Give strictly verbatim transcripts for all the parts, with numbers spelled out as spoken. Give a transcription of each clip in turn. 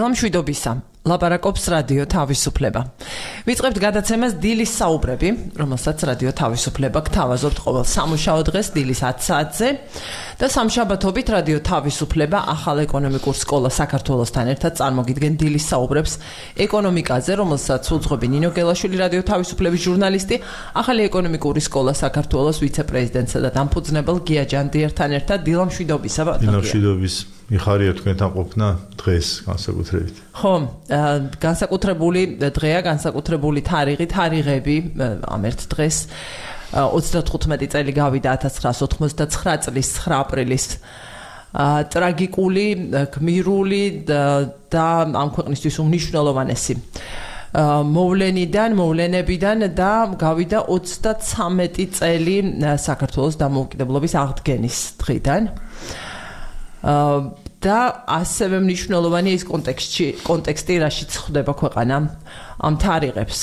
დილამ შვიდობისა. ლაპარაკობს რადიო თავისუფლება. ვიწყებთ გადაცემას დილის საუბრები, რომელსაც რადიო თავისუფლება გთავაზობთ ყოველ სამუშაო დღეს დილის ათი საათზე და სამშაბათობით რადიო თავისუფლება ახალ ეკონომიკურ სკოლა საქართველოსთან ერთად წარმოგიდგენ დილის საუბრებს ეკონომიკაზე, რომელსაც უძღვები ნინო გელაშვილი, რადიო თავისუფლების ჟურნალისტი, ახალი ეკონომიკური სკოლა საქართველოს ვიცე-პრეზიდენტსა და დამფუძნებელ გია ჯანდიერთან ერთად. დილამ შვიდობისა. დილამ შვიდობის. მიხარია თქვენთან ყოფნა დღეს განსაკუთრებით. ხო, განსაკუთრებული დღეა, განსაკუთრებული თარიღი, თარიღები ამ ერთ დღეს ოცდათხუთმეტი წელი გავიდა ათას ცხრაასი ოთხმოცდაცხრა წლის ცხრა აპრილის ტრაგიკული, გმირული და ამ ქვეყნისთვის უმნიშვნელოვანესი მოვლენიდან, მოვლენებიდან და გავიდა ოცდაცამეტი წელი საქართველოს დამოუკიდებლობის აღდგენის დღიდან. და ასევე მნიშვნელოვანი ის კონტექსტი, კონტექსტი, რაშიც ხდება ქვეყანა ამ თარიღებს.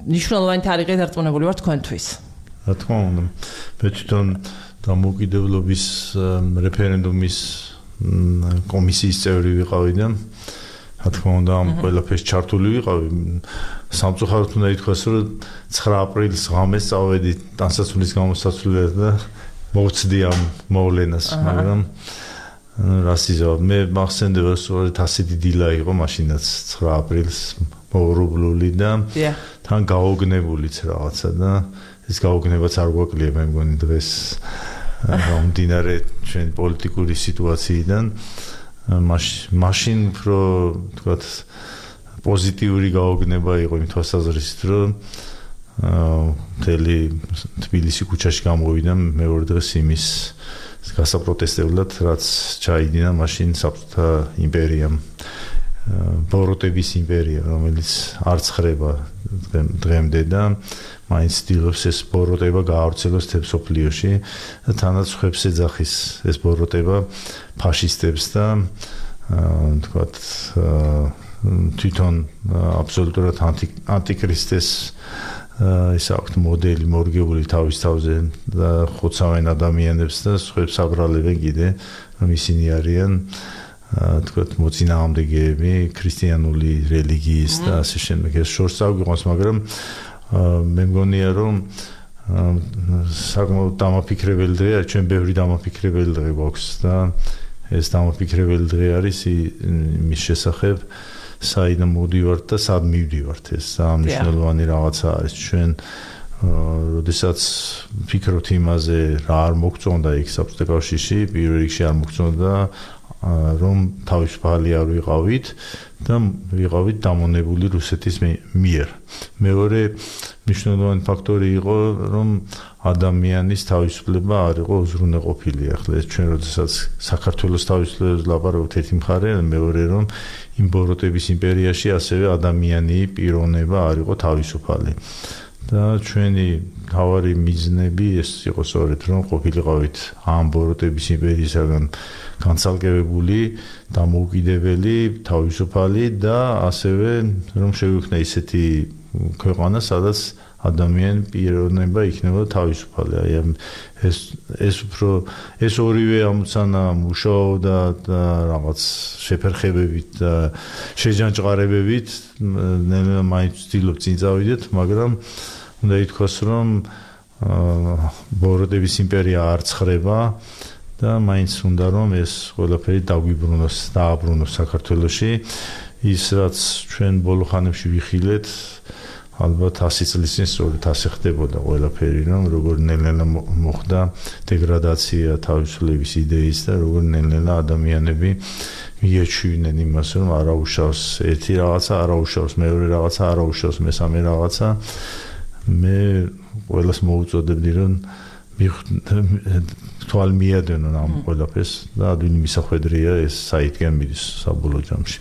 მნიშვნელოვანი თარიღი დარწმუნებული ვარ თქვენთვის. რა თქმა უნდა, მე თვითონ დამოუკიდებლობის რეფერენდუმის კომისიის წევრი ვიყავი და რა თქმა უნდა ამ ყველაფერს ჩართული ვიყავი. სამწუხაროდ უნდა ითქვას, რომ ცხრა აპრილის ღამეს წავედი ტანსაცმლის გამოსაცვლელად და მოვცდი ამ მოვლენას, მაგრამ რას იზავ, მე მახსენდება, სწორედ ასეთი დილა იყო მაშინაც ცხრა აპრილს მოურублული და თან გაოგნებულიც რაღაცა და ეს გაოგნებაც არ გვაკლია, მე მგონი დღეს მომდინარე ჩვენ პოლიტიკური სიტუაციიდან მაშინ უფრო თქვათ პოზიტიური გაოგნება იყო იმ თვალსაზრისით, რომ მთელი თბილისი ქუჩაში გამოვიდა მეორე დღეს იმის გასაპროტესტებლად, რაც ჩაიდინა მაშინ საბჭოთა იმპერიამ, ბოროტების იმპერია, რომელიც არ ცხრება დღემდე და მაინც ცდილობს ეს ბოროტება გაავრცელოს მთელ მსოფლიოში და თანაც ხვებს ეძახის ეს ბოროტება ფაშისტებს და თქვათ თვითონ აბსოლუტურად ანტიქრისტეს ის აქვს მოდელი მორგებული თავის თავზე და ხოცავენ ადამიანებს და სხვებს აბრალებენ კიდე, რომ ისინი არიან თქვათ მოწინააღმდეგეები ქრისტიანული რელიგიის და ასე შემდეგ. ეს შორს აგვიყვანს, მაგრამ მე მგონია, რომ საკმაოდ დამაფიქრებელი დღეა, ჩვენ ბევრი დამაფიქრებელი დღე გვაქვს და ეს დამაფიქრებელი დღე არის იმის შესახებ, საიდან მოვდივართ და სად მივდივართ. ეს მნიშვნელოვანი რაღაცა არის. ჩვენ როდესაც ვფიქრობთ იმაზე, რა არ მოგწონდა იქ საბჭოთა კავშირში, პირველ რიგში არ მოგწონდა, რომ თავისუფალი არ ვიყავით და ვიყავით დამონებული რუსეთის მიერ. მეორე მნიშვნელოვანი ფაქტორი იყო, რომ ადამიანის თავისუფლება არ იყო უზრუნველყოფილი. ახლა ეს ჩვენ როდესაც საქართველოს თავისუფლებას ლაპარაკობთ ერთი მხარე, მეორე რომ იმ ბოროტების იმპერიაში ასევე ადამიანი პიროვნება არ იყო თავისუფალი. და ჩვენი თავარი მიზნები ეს იყო სწორედ, რომ ყოფილიყავით ამ ბოროტების იმპერიისაგან განცალკევებული, დამოუკიდებელი, თავისუფალი და ასევე რომ შეგვიქმნა ისეთი ქვეყანა, სადაც ადამიანი პიროვნება იქნება თავისუფალი. აი ეს ეს უფრო ეს ორივე ამოცანა მუშაობდა და რაღაც შეფერხებებით და შეჯანჭყარებებით ნელა მაინც ვცდილობ წინ წავიდეთ, მაგრამ უნდა ითქვას, რომ ბოროტების იმპერია არ ცხრება და მაინც უნდა რომ ეს ყველაფერი დაგვიბრუნოს, დააბრუნოს საქართველოში. ის რაც ჩვენ ბოლო ხანებში ვიხილეთ, ალბათ ასი წლის წინ სწორედ ასე ხდებოდა ყველაფერი, რომ როგორ ნელ-ნელა მოხდა დეგრადაცია თავისუფლების იდეის და როგორ ნელ-ნელა ადამიანები მიეჩვენენ იმას, რომ არაუშავს ერთი რაღაცა, არაუშავს მეორე რაღაცა, არაუშავს მესამე რაღაცა. მე ყველას მოუწოდებდი, რომ თვალ მიადენონ ამ ყველაფერს და ადვილი მისახვედრია ეს საითგან მიდის საბოლოო ჯამში.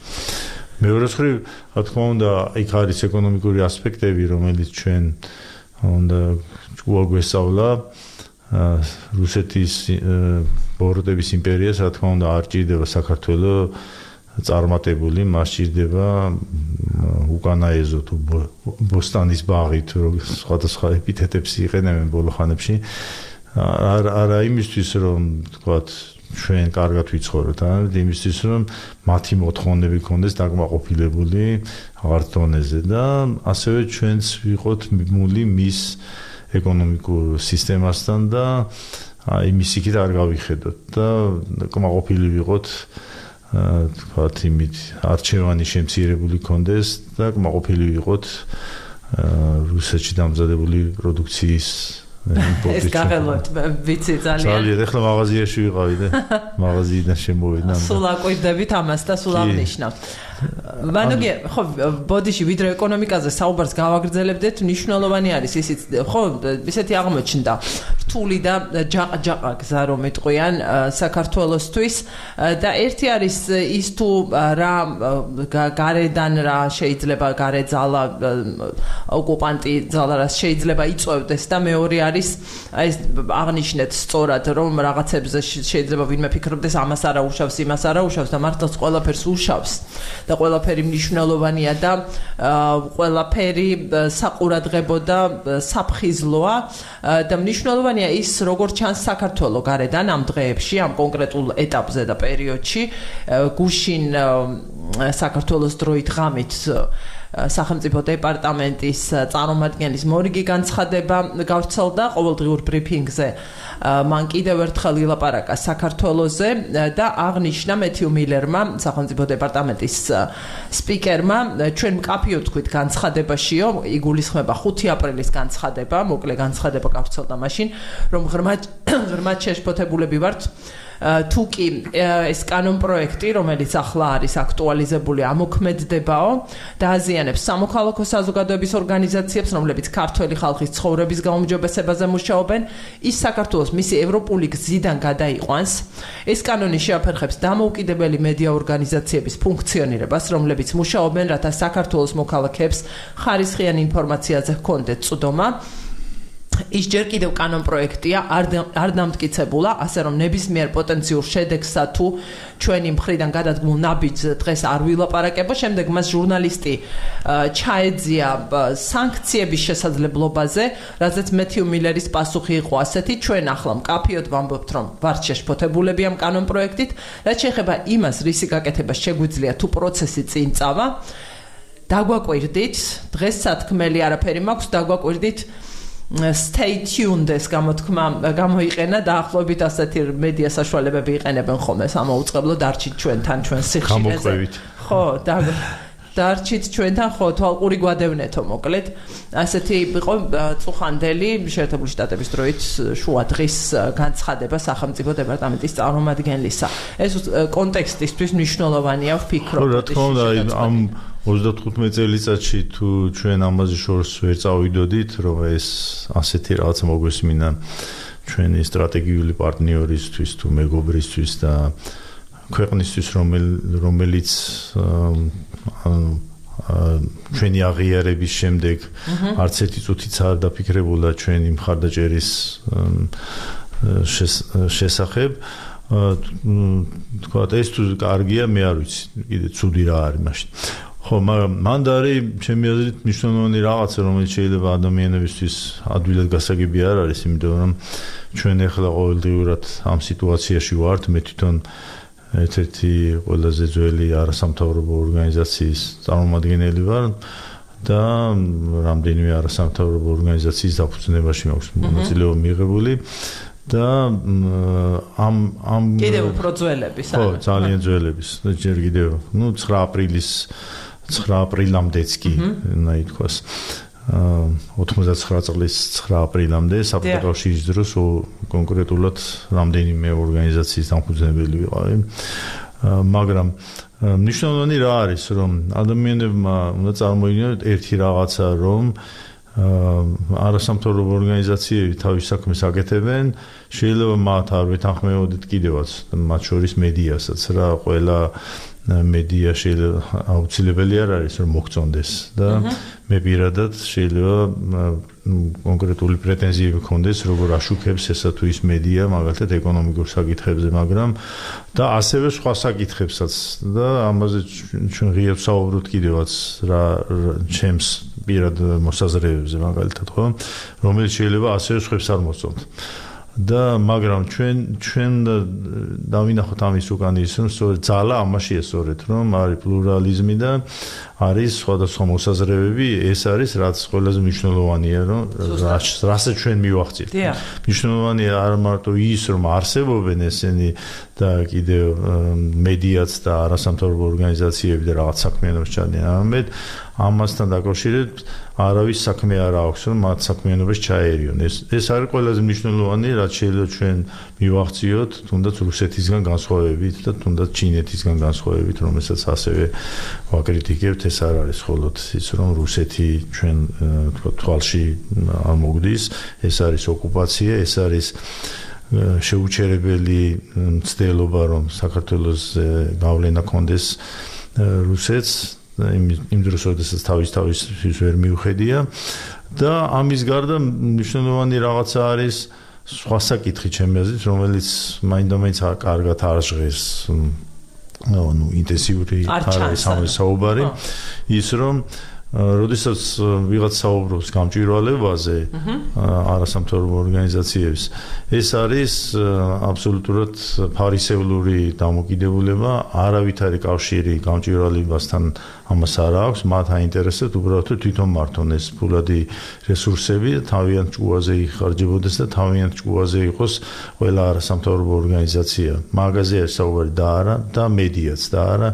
მეორე მხრივ, რა თქმა უნდა, იქ არის ეკონომიკური ასპექტები, რომელიც ჩვენ უნდა გვაგვესწავლა. რუსეთის ბოროტების იმპერიას, რა თქმა უნდა, არ ჭირდება საქართველოს წარმატებული, მას ჭირდება უკანაეზო თუ ბოსტანის ბაღი თუ სხვადასხვა ეპითეტებს იყენებენ ბოლო ხანებში. არა იმისთვის, რომ თქვათ ჩვენ კარგად ვიცხოვროთ, არა, იმისთვის რომ მათი მოთხოვნები ქონდეს დაკმაყოფილებული აღარ დონეზე და ასევე ჩვენც ვიყოთ მიბმული მის ეკონომიკურ სისტემასთან და აი მის იქით არ გავიხედოთ და კმაყოფილი ვიყოთ თქვათ იმით არჩევანი შემცირებული ქონდეს და კმაყოფილი ვიყოთ რუსეთში დამზადებული პროდუქციის ეს გაღელვებთ ვიცი ძალიან ძალიან ეხლა მაღაზიაში ვიყავი და მაღაზიიდან შემოვედა სულ აკვირდებით ამას და სულ აღნიშნავ მანუგე ხო ბოდიში ვიდრე ეკონომიკაზე საუბარს გავაგრძელებდეთ მნიშვნელოვანი არის ისიც ხო ისეთი აღმოჩნდა რთული და ჯაყ-ჯაყა გზა რომ ეტყვიან საქართველოსთვის და ერთი არის ის თუ რა გარედან რა შეიძლება გარე ძალა ოკუპანტი ძალა რა შეიძლება იწვევდეს და მეორე არის ეს აღნიშნეთ სწორად რომ რაღაცებზე შეიძლება ვინმე ფიქრობდეს ამას არა უშავს იმას არა უშავს და მართლაც ყველაფერს უშავს და ყველაფერი მნიშვნელოვანია და ყველაფერი საყურადღებო და საფხიზლოა და მნიშვნელოვანია ის როგორ ჩანს საქართველოს გარედან ამ დღეებში ამ კონკრეტულ ეტაპზე და პერიოდში გუშინ საქართველოს დროით ღამით სახელმწიფო დეპარტამენტის წარმომადგენლის მორიგი განცხადება გავრცელდა ყოველდღიურ ბრიფინგზე მან კიდევ ერთხელ ილაპარაკა საქართველოზე და აღნიშნა მეთიუ მილერმა სახელმწიფო დეპარტამენტის სპიკერმა ჩვენ მკაფიოდ თქვით განცხადებაშიო იგულისხმება ხუთი აპრილის განცხადება მოკლე განცხადება გავრცელდა მაშინ რომ ღრმად ღრმად შეშფოთებულები ვართ თუ კი ეს კანონ პროექტი რომელიც ახლა არის აქტუალიზებული ამოქმედებაო და აზიანებს სამოქალაქო საზოგადოების ორგანიზაციებს რომლებიც ქართველი ხალხის ცხოვრების გაუმჯობესებაზე მუშაობენ ის საქართველოს მისი ევროპული გზიდან გადაიყვანს ეს კანონი შეაფერხებს დამოუკიდებელი მედია ორგანიზაციების ფუნქციონირებას რომლებიც მუშაობენ რათა საქართველოს მოქალაქეებს ხარისხიან ინფორმაციაზე ჰქონდეთ წვდომა ის ჯერ კიდევ კანონ პროექტია არ დამტკიცებულა ასე რომ ნებისმიერ პოტენციურ შედეგსა თუ ჩვენი მხრიდან გადადგმულ ნაბიჯს დღეს არ ვილაპარაკებო შემდეგ მას ჟურნალისტი ჩაეძია სანქციების შესაძლებლობაზე რაზეც მეთიუ მილერის პასუხი იყო ასეთი ჩვენ ახლა მკაფიოდ ვამბობთ რომ ვართ შეშფოთებულები ამ კანონ პროექტით რაც შეეხება იმას რისი გაკეთება შეგვიძლია თუ პროცესი წინ წავა დაგვაკვირდით დღეს სათქმელი არაფერი მაქვს დაგვაკვირდით stay tuned ეს გამოთქმა გამოიყენა დაახლოებით ასეთი მედია საშუალებები იყენებენ ხოლმე სამოუწყებლო დარჩით ჩვენთან ჩვენ სიხშირეზე ხო და დარჩით ჩვენთან ხო თვალყური გვადევნეთო მოკლედ ასეთი იყო წუხანდელი შეერთებული შტატების დროით შუა დღის განცხადება სახელმწიფო დეპარტამენტის წარმომადგენლისა ეს კონტექსტისთვის მნიშვნელოვანია ვფიქრობ რა თქმა უნდა ამ ოცდათხუთმეტ წელიწადში თუ ჩვენ ამაზე შორს ვერ წავიდოდით რომ ეს ასეთი რაღაცა მოგვესმინა ჩვენი სტრატეგიული პარტნიორისთვის თუ მეგობრისთვის და ქვეყნისთვის რომელიც ჩვენი აღიარების შემდეგ არც ერთი წუთიც არ დაფიქრებულა ჩვენი მხარდაჭერის შესახებ თქვა ეს თუ კარგია მე არ ვიცი კიდე ცუდი რა არის მაშინ ხო მაგრამ მანდ არის ჩემი აზრით მნიშვნელოვანი რაღაცა რომელიც შეიძლება ადამიანებისთვის ადვილად გასაგები არ არის იმიტომ რომ ჩვენ ახლა ყოველდღიურად ამ სიტუაციაში ვართ მე თვითონ ერთ-ერთი ყველაზე ძველი არასამთავრობო ორგანიზაციის წარმომადგენელი ვარ და რამდენიმე არასამთავრობო ორგანიზაციის დაფუძნებაში მაქვს მონაწილეობა მიღებული და ამ ამ კიდევ უფრო ძველების ხო ძალიან ძველების და ჯერ კიდევ ნუ ცხრა აპრილის ცხრა აპრილამდეც კი უნდა ითქვას ოცდაცხრა წლის ცხრა აპრილამდე საბჭოთა კავშირის დროს კონკრეტულად რამდენიმე ორგანიზაციის დამფუძნებელი ვიყავი მაგრამ მნიშვნელოვანი რა არის რომ ადამიანებმა უნდა წარმოიდგინოთ ერთი რაღაცა რომ არასამთავრობო ორგანიზაციები თავის საქმეს აკეთებენ შეიძლება მათ არ ვეთანხმებოდეთ კიდევაც მათ შორის მედიასაც რა ყველა მედია შეიძლება აუცილებელი არ არის რომ მოგწონდეს და მე პირადად შეიძლება კონკრეტული პრეტენზიები მქონდეს როგორ აშუქებს ესა თუ ის მედია მაგალითად ეკონომიკურ საკითხებზე მაგრამ და ასევე სხვა საკითხებსაც და ამაზე ჩვენ ღიად საუბრობთ კიდევაც რა ჩემს პირად მოსაზრებებზე მაგალითად ხო რომელიც შეიძლება ასევე სხვებს არ მოსწონთ და მაგრამ ჩვენ ჩვენ დავინახოთ ამის უკან ის რომ სწორედ ძალა ამაშია სწორედ რომ არის პლურალიზმი და არის სხვადასხვა მოსაზრებები ეს არის რაც ყველაზე მნიშვნელოვანია რომ რასაც ჩვენ მივახციეთ მნიშვნელოვანია არ მარტო ის რომ არსებობენ ესენი და კიდევ მედიაც და არასამთავრობო ორგანიზაციები და რაღაც საქმიანობს ჩადიან ამეთ ამასთან დაკავშირებით არავის საქმე არ აქვს რომ მათ საქმიანობას ჩაერიონ ეს ეს არის ყველაზე მნიშვნელოვანი რაც შეიძლება ჩვენ მივახციოთ თუნდაც რუსეთისგან განსხვავებით და თუნდაც ჩინეთისგან განსხვავებით რომელსაც ასევე ვაკრიტიკებთ ეს არ არის მხოლოდ ის რომ რუსეთი ჩვენ თქვა თვალში არ მოგდის ეს არის ოკუპაცია ეს არის შეუჩერებელი მცდელობა რომ საქართველოს გავლენა კონდეს რუსეთს იმ დროს როდესაც თავის თავის ვერ მიუხედია და ამის გარდა მნიშვნელოვანი რაღაცა არის სხვა საკითხი ჩემი აზრით რომელიც მაინდამაინც კარგად არ ჟღერს ну ინტენსიური არის საუბარი ის რომ როდესაც ვიღაც საუბრობს გამჭვირვალებაზე არასამთავრობო ორგანიზაციებს ეს არის აბსოლუტურად ფარისევლური დამოკიდებულება არავითარი კავშირი გამჭვირვალებასთან ამას არ აქვს მათ აინტერესებს უბრალოდ თვითონ მართონ ეს ფულადი რესურსები თავიანთ ჭკუაზე იხარჯებოდეს და თავიანთ ჭკუაზე იყოს ყველა არასამთავრობო ორგანიზაცია მაგაზე არის საუბარი და არა და მედიაც და არა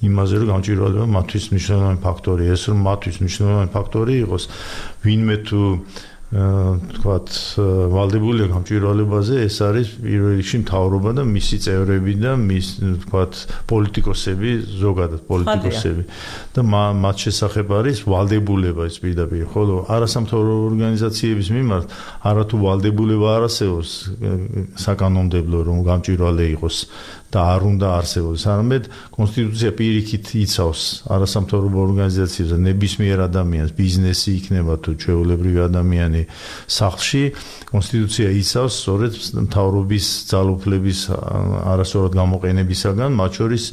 იმაზე რომ გამჭვირვალება მათთვის მნიშვნელოვანი ფაქტორია ეს რომ მათთვის მნიშვნელოვანი ფაქტორი იყოს ვინმე თუ თქვათ ვალდებულია გამჭვირვალებაზე ეს არის პირველ რიგში მთავრობა და მისი წევრები და მის თქვათ პოლიტიკოსები ზოგადად პოლიტიკოსები და მათ შესახებ არის ვალდებულება ეს პირდაპირ ხოლო არასამთავრობო ორგანიზაციების მიმართ არათუ ვალდებულება არ არსებობს საკანონმდებლო რომ გამჭვირვალე იყოს და არ უნდა არსებობდეს არამედ კონსტიტუცია პირიქით იცავს არასამთავრობო ორგანიზაციებს და ნებისმიერ ადამიანს ბიზნესი იქნება თუ ჩვეულებრივი ადამიანი სახლში კონსტიტუცია იცავს სწორედ მთავრობის ძალაუფლების არასწორად გამოყენებისაგან მათ შორის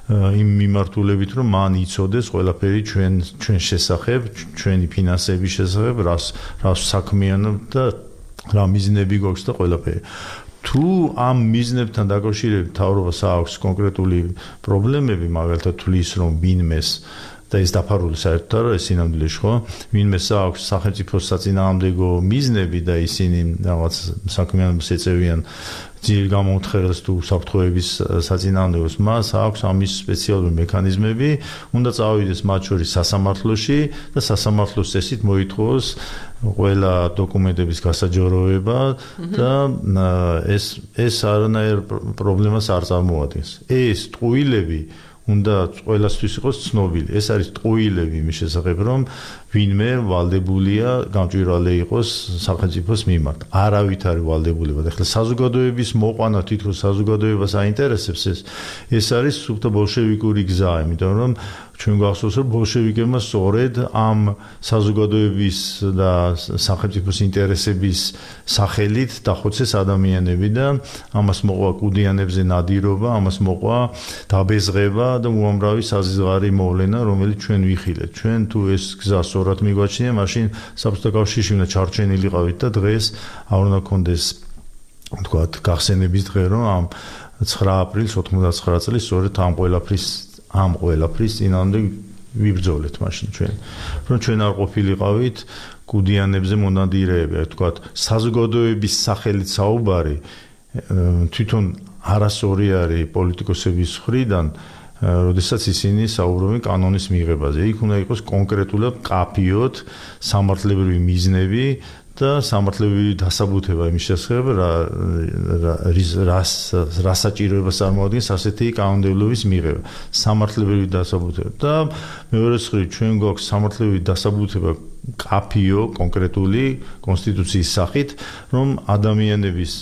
იმ მიმართულებით რომ მან იცოდეს ყველაფერი ჩვენ ჩვენ შესახებ ჩვენი ფინანსების შესახებ რას რას საქმიანობ და რა მიზნები გვაქვს და ყველაფერი თუ ამ მიზნებთან დაკავშირებით მთავრობას აქვს კონკრეტული პრობლემები მაგალითად თulis რომ ვინმეს და ეს დაფარული საერთოდ არა ეს სინამდვილეში ხო ვინმეს აქვს სახელმწიფოს საწინააღმდეგო მიზნები და ისინი რაღაც საქმიანობას ეწევიან ძიერ გამოუთხრელს თუ საფრთხეების საწინააღმდეგოს მას აქვს ამის სპეციალური მექანიზმები უნდა წავიდეს მათ შორის სასამართლოში და სასამართლოს წესით მოითხოვოს ყველა დოკუმენტების გასაჯაროება და ეს ეს არანაირ პრობლემას არ წარმოადგენს ეს ტყუილები უნდა ყველასთვის იყოს ცნობილი ეს არის ტყუილები იმის შესახებ რომ ვინმე ვალდებულია გამჭვირვალე იყოს სახელმწიფოს მიმართ არავით არის ვალდებულება და ახლა საზოგადოების მოყვანა თითქოს საზოგადოებას აინტერესებს ეს ეს არის სუფთა ბოლშევიკური გზა იმიტომ რომ ჩვენ გვახსოვს რომ ბოლშევიკებმა სწორედ ამ საზოგადოების და სახელმწიფოს ინტერესების სახელით დახოცეს ადამიანები და ამას მოყვა კუდიანებზე ნადირობა ამას მოყვა დაბეზღება და უამრავი საზღვარი მოვლენა რომელიც ჩვენ ვიხილეთ ჩვენ თუ ეს გზა სწორად მიგვაჩნია მაშინ საბჭოთა კავშირში უნდა ჩარჩენილიყავით და დღეს არ უნდა გქონდეს თქვათ გახსენების დღე რომ ამ ცხრა აპრილს ოთხმოცდაცხრა წლის სწორედ ამ ყველაფრის ამ ყველაფრის წინამდე ვიბრძოლეთ მაშინ ჩვენ რომ ჩვენ არ ყოფილიყავით კუდიანებზე მონადირეები თქვათ საზოგადოების სახელით საუბარი თვითონ არასწორი არის პოლიტიკოსების მხრიდან როდესაც ისინი საუბრობენ კანონის მიღებაზე იქ უნდა იყოს კონკრეტულად კაფიოთ სამართლებრივი მიზნები და სამართლებრივი დასაბუთება იმის შესახებ რა რას რას საჭიროებას წარმოადგენს ასეთი კანონმდებლობის მიღება სამართლებრივი დასაბუთება და მეორე მხრივ ჩვენ გვაქვს სამართლებრივი დასაბუთება კაფიო კონკრეტული კონსტიტუციის სახით რომ ადამიანების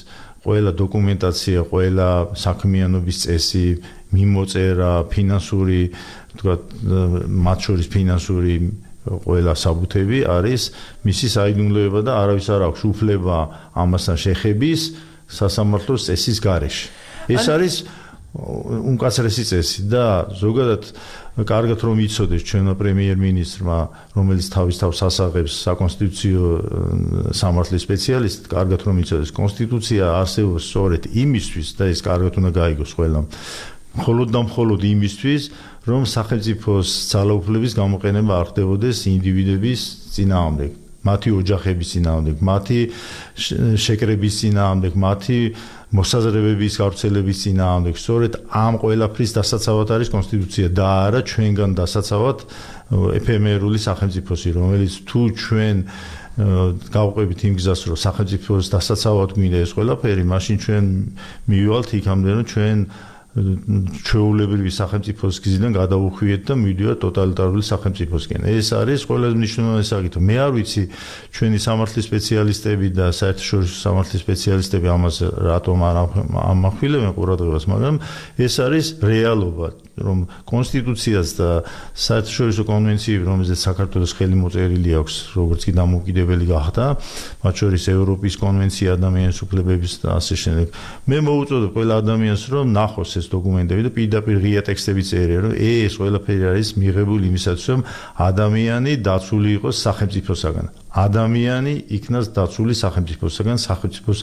ყველა დოკუმენტაცია ყველა საქმიანობის წესი მიმოწერა ფინანსური თქვა მათ შორის ფინანსური ყველა საბუთები არის მისი საიდუმლოება და არავის არ აქვს უფლება ამასთან შეხების სასამართლოს წესის გარეშე ეს არის უმკაცრესი წესი და ზოგადად კარგად რომ იცოდეს ჩვენმა პრემიერ-მინისტრმა, რომელიც თავის თავს ასაღებს საკონსტიტუციო სამართლის სპეციალისტი, კარგად რომ იცოდეს, კონსტიტუცია არსებობს სწორედ იმისთვის და ეს კარგად უნდა გაიგოს ყველამ. მხოლოდ და მხოლოდ იმისთვის, რომ სახელმწიფოს ძალაუფლების გამოყენება არ ხდებოდეს ინდივიდების წინააღმდეგ, მათი ოჯახების წინააღმდეგ, მათი შეკრების წინააღმდეგ, მათი მოსაზრებების გავრცელების წინააღმდეგ. სწორედ ამ ყველაფრის დასაცავად არის კონსტიტუცია და არა ჩვენგან დასაცავად ეფემერული სახელმწიფოსი, რომელიც თუ ჩვენ გავყვებით იმ გზას, რომ სახელმწიფოს დასაცავად გვინდა ეს ყველაფერი, მაშინ ჩვენ მივივალთ იქამდე, რომ ჩვენ ჩვეულებრივი სახელმწიფოს გზიდან გადავუხვიეთ და მივიდივართ ტოტალიტარული სახელმწიფოსკენ. ეს არის ყველაზე მნიშვნელოვანი საკითხი. მე არ ვიცი ჩვენი სამართლის სპეციალისტები და საერთაშორისო სამართლის სპეციალისტები ამას რატომ არ ამახვილებენ ყურადღებას, მაგრამ ეს არის რეალობა, რომ კონსტიტუციას და საერთაშორისო კონვენციები, რომელზეც საქართველოს ხელი მოწერილი აქვს, როგორც კი დამოუკიდებელი გახდა, მათ შორის ევროპის კონვენცია ადამიანის უფლებების და ასე შემდეგ. მე მოვუწოდებ ყველა ადამიანს, რომ ნახოს ეს დოკუმენტები და პირდაპირ ღია ტექსტები წერია, რომ ეს ყველაფერი არის მიღებული იმისათვის, რომ ადამიანი დაცული იყოს სახელმწიფოსაგან. ადამიანი იქნას დაცული სახელმწიფოსაგან, სახელმწიფოს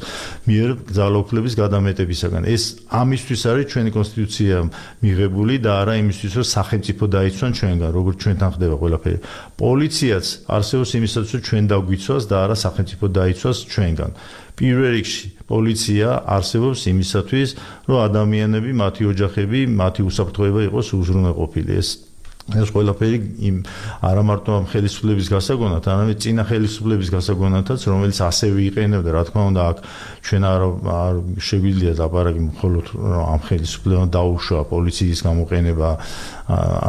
მიერ ძალაუფლების გადამეტებისაგან. ეს ამისთვის არის ჩვენი კონსტიტუცია მიღებული და არა იმისთვის, რომ სახელმწიფო დაიცვან ჩვენგან, როგორც ჩვენთან ხდება ყველაფერი. პოლიციაც არსებობს იმისათვის, რომ ჩვენ დაგვიცვას და არა სახელმწიფო დაიცვას ჩვენგან. პირველ რიგში პოლიცია არსებობს იმისათვის, რომ ადამიანები, მათი ოჯახები, მათი უსაფრთხოება იყოს უზრუნველყოფილი. ეს ეს ყველაფერი იმ არა მარტო ამ ხელისუფლების გასაგონად, არამედ წინა ხელისუფლების გასაგონადაც, რომელიც ასევე იყენებდა, რა თქმა უნდა, აქ ჩვენ არ არ შეგვიძლია ლაპარაკი მხოლოდ ამ ხელისუფლებამ დაუშვა პოლიციის გამოყენება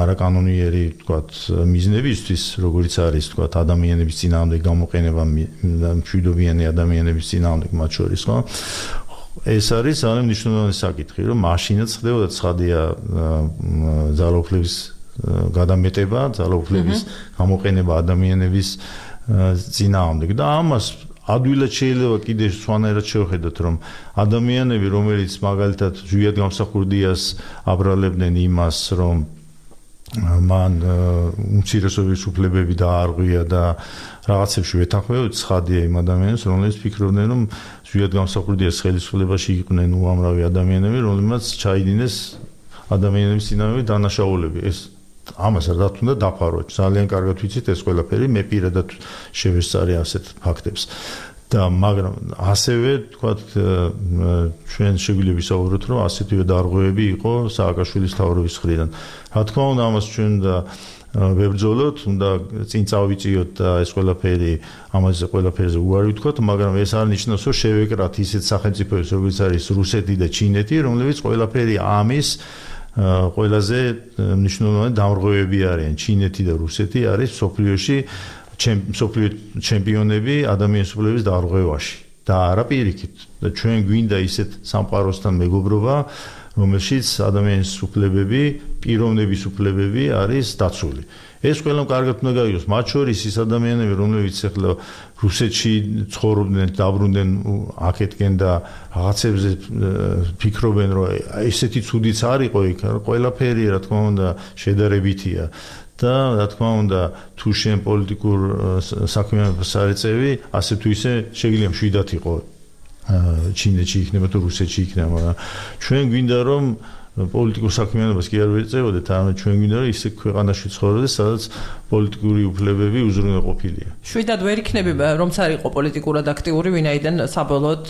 არაკანონიერი, თქვათ, მიზნებისთვის, როგორც არის, თქვათ, ადამიანების წინააღმდეგ გამოყენება, მშვიდობიანი ადამიანების წინააღმდეგ მათ შორის, ხო? ეს არის ძალიან მნიშვნელოვანი საკითხი, რომ მაშინაც ხდებოდა ცხადია ძალაუფლების გადამეტება, ძალაუფლების გამოყენება ადამიანების წინააღმდეგ და ამას ადვილად შეიძლება კიდე სხვანაირად შევხედოთ, რომ ადამიანები, რომელიც მაგალითად ზვიად გამსახურდიას აბრალებდნენ იმას, რომ მან უმცირესობის უფლებები დაარღვია და რაღაცებში ვეთანხმებოდ, ცხადია იმ ადამიანებს, რომლებიც ფიქრობდნენ, რომ ზვიად გამსახურდიას ხელისუფლებაში იყვნენ უამრავი ადამიანები, რომლებმაც ჩაიდინეს ადამიანების წინააღმდეგ დანაშაულები. ეს ამას რაც უნდა დაფაროთ. ძალიან კარგად ვიცით ეს ყველაფერი, მე პირადად შევესწარი ასეთ ფაქტებს. და მაგრამ ასევე თქვათ ჩვენ შეგვიძლია ვისაუბროთ, რომ ასეთივე დარღვევები იყო სააკაშვილის თავრობის მხრიდან. რა თქმა უნდა, ამას ჩვენ და ვებრძოლოთ, უნდა წინ წავიწიოთ და ეს ყველაფერი ამაზე ყველაფერზე უარი ვთქვათ, მაგრამ ეს არ ნიშნავს, რომ შევეკრათ ისეთ სახელმწიფოებს, როგორც არის რუსეთი და ჩინეთი, რომლებიც ყველაფერი ამის ყველაზე მნიშვნელოვანი დამრღვევები არიან. ჩინეთი და რუსეთი არის სოფლიოში სოფლიო ჩემპიონები ადამიანის უფლების დარღვევაში და არა პირიქით. და ჩვენ გვინდა ისეთ სამყაროსთან მეგობრობა, რომელშიც ადამიანის უფლებები, პიროვნების უფლებები არის დაცული. ეს ყველამ კარგად უნდა გაიგოს, მათ შორის ის ადამიანები, რომლებიც ახლა რუსეთში ცხოვრობდნენ, დაბრუნდნენ აქეთკენ და რაღაცებზე ფიქრობენ, რომ ესეთი ცუდიც არ იყო იქ, ყველაფერი რა თქმა უნდა შედარებითია. და რა თქმა უნდა, თუ შენ პოლიტიკურ საქმიანობას არ ეწევი, ასე თუ ისე შეიძლება მშვიდად იყო ჩინეთში იქნება თუ რუსეთში იქნება, მაგრამ ჩვენ გვინდა რომ პოლიტიკურ საქმიანობას კი არ ვეწევოდეთ, არამედ ჩვენ გვინდა რომ ისე ქვეყანაში ცხოვრობდეს, სადაც პოლიტიკური უფლებები უზრუნველყოფილია. შვიდად ვერ იქნები, რომც არ იყო პოლიტიკურად აქტიური, ვინაიდან საბოლოოდ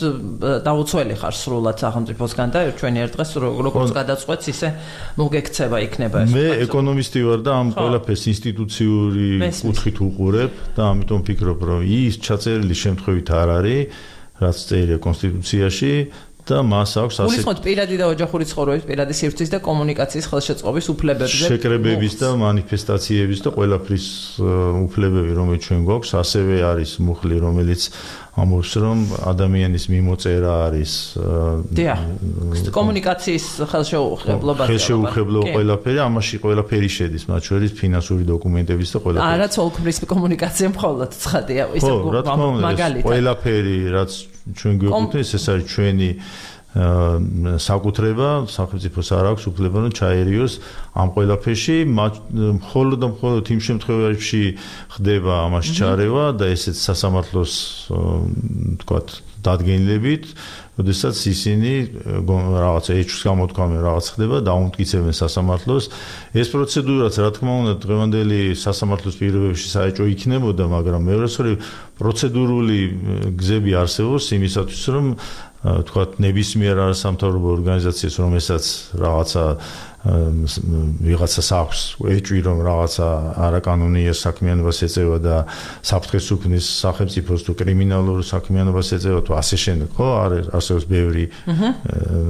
დაუცველი ხარ სრულად სახელმწიფოსგან და ჩვენი ერთ დღეს როგორც გადაწყვეტს, ისე მოგექცევა იქნება ეს. მე ეკონომისტი ვარ და ამ ყველაფერს ინსტიტუციური კუთხით უყურებ და ამიტომ ფიქრობ, რომ ის ჩაწერილი შემთხვევით არ არის, რაც წერია კონსტიტუციაში. და მას აქვს ასე გულისხმობთ პირადი და ოჯახური ცხოვრების, პირადი სივრცის და კომუნიკაციის ხელშეწყობის უფლებებზე, შეკრებების და მანიფესტაციების და ყველაფრის უფლებები, რომელიც ჩვენ გვაქვს, ასევე არის მუხლი, რომელიც ამბობს, რომ ადამიანის მიმოწერა არის დიახ, კომუნიკაციის ხელშეუხებლობა, ხელშეუხებლობა ყველაფერი, ამაში ყველაფერი შედის, მათ შორის ფინანსური დოკუმენტების და ყველაფერი. არა, ცოლქმრის კომუნიკაცია მხოლოდ ცხადია, ისე მაგალითად. ყველაფერი, რაც ჩვენ გვეკუთვნის, ეს არის ჩვენი საკუთრება, სახელმწიფოს არ აქვს უფლება რომ ჩაერიოს ამ ყველაფერში, მხოლოდ და მხოლოდ იმ შემთხვევაში ხდება ამას ჩარევა და ესეც სასამართლოს თქვათ დადგენილებით, როდესაც ისინი რაღაცა ეჭვს გამოთქვამენ, რაღაც ხდება, დაუმტკიცებენ სასამართლოს. ეს პროცედურაც, რა თქმა უნდა, დღევანდელი სასამართლოს პირობებში საეჭვო იქნებოდა, მაგრამ მეორე მხრივ პროცედურული გზები არსებობს იმისათვის, რომ თქვათ ნებისმიერ არასამთავრობო ორგანიზაციას, რომელსაც რაღაცა ვიღაცას აქვს ეჭვი, რომ რაღაცა არაკანონიერ საქმიანობას ეწევა და საფრთხეს უქმნის სახელმწიფოს თუ კრიმინალურ საქმიანობას ეწევა თუ ასე შემდეგ, ხო? არის არსებობს ბევრი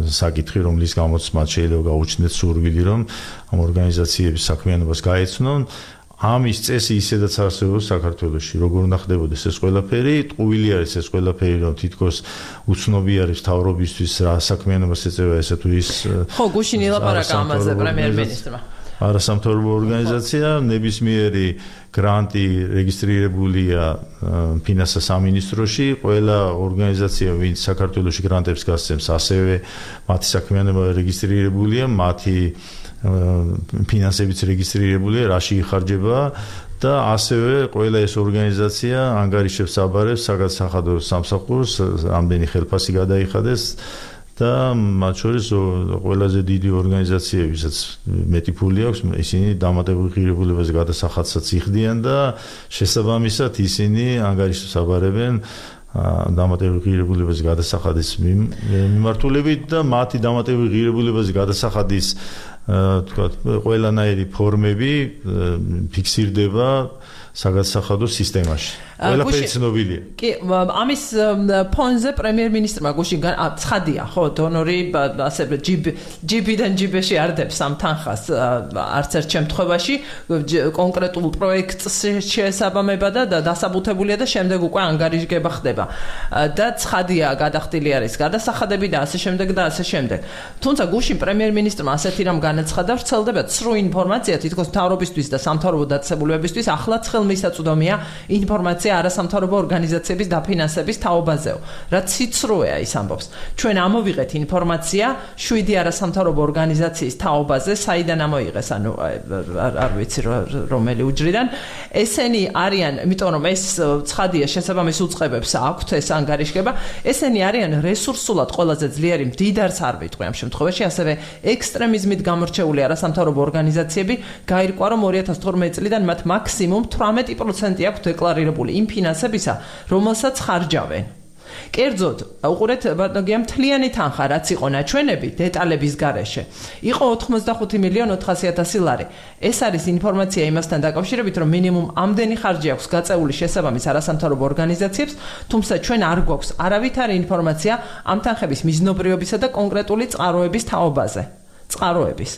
საკითხი, რომლის გამოც მათ შეიძლება გაუჩნდეთ სურვილი, რომ ამ ორგანიზაციების საქმიანობას გაეცნონ. ამის წესი ისედაც არსებობს საქართველოში, როგორ უნდა ხდებოდეს ეს ყველაფერი, ტყუილი არის ეს ყველაფერი, რომ თითქოს უცნობი არის მთავრობისთვის რა საქმიანობას ეწევა ესა თუ ის ხო, გუშინ ილაპარაკა ამაზე პრემიერ-მინისტრმა. არასამთავრობო ორგანიზაცია, ნებისმიერი გრანტი რეგისტრირებულია ფინანსთა სამინისტროში, ყველა ორგანიზაცია, ვინც საქართველოში გრანტებს გასცემს, ასევე მათი საქმიანობა რეგისტრირებულია, მათი ფინანსებიც რეგისტრირებულია, რაში იხარჯება და ასევე ყველა ეს ორგანიზაცია ანგარიშებს აბარებს საგადასახადო სამსახურს, რამდენი ხელფასი გადაიხადეს და მათ შორის ყველაზე დიდი ორგანიზაციებისაც მეტი ფული აქვს, ისინი დამატებულ ღირებულებაზე გადასახადსაც იხდიან და შესაბამისად ისინი ანგარიშებს აბარებენ დამატებულ ღირებულებაზე გადასახადის მიმართულებით და მათი დამატებულ ღირებულებაზე გადასახადის თქვათ ყველანაირი ფორმები ფიქსირდება საგადასახადო სისტემაში. ყველაფერი ცნობილია. კი, ამის ფონზე პრემიერ-მინისტრმა გუშინ ცხადია, ხო, დონორი ასე ჯიბიდან ჯიბეში არდებს ამ თანხას არც ერთ შემთხვევაში კონკრეტულ პროექტს შეესაბამება და დასაბუთებულია და შემდეგ უკვე ანგარიშგება ხდება. და ცხადია გადახდილი არის გადასახადები და ასე შემდეგ და ასე შემდეგ. თუმცა გუშინ პრემიერ-მინისტრმა ასეთი რამ განაცხადა, ვრცელდება ცრუ ინფორმაცია თითქოს მთავრობისთვის და სამთავრობო დაწესებულებებისთვის ახლაც ხელმისაწვდომია ინფორმაცია არასამთავრობო ორგანიზაციების დაფინანსების თაობაზეო. რაც ციცრუეა ის ამბობს. ჩვენ ამოვიღეთ ინფორმაცია შვიდი არასამთავრობო ორგანიზაციის თაობაზე, საიდან ამოიღეს, ანუ არ ვიცი რომელი უჯრიდან. ესენი არიან, იმიტომ რომ ეს ცხადია შესაბამის უწყებებს აქვთ ეს ანგარიშგება, ესენი არიან რესურსულად ყველაზე ძლიერი, მდიდარს არ ვიტყვი ამ შემთხვევაში, ასევე ექსტრემიზმით გამორჩეული არასამთავრობო ორგანიზაციები გაირკვა, რომ ორი ათას თორმეტი წლიდან მათ მაქსიმუმ თვრამეტი პროცენტი აქვს დეკლარირებული იმ ფინანსებისა, რომელსაც ხარჯავენ. კერძოდ, უყურეთ ბატონო, მთლიანი თანხა, რაც იყო ნაჩვენები დეტალების გარეშე, იყო ოთხმოცდახუთი მილიონი ოთხასი ათასი ლარი. ეს არის ინფორმაცია იმასთან დაკავშირებით, რომ მინიმუმ ამდენი ხარჯი აქვს გაწეული შესაბამის არასამთავრობო ორგანიზაციებს, თუმცა ჩვენ არ გვაქვს არავითარი ინფორმაცია ამ თანხების მიზნობრიობისა და კონკრეტული წყაროების თაობაზე. წყაროების.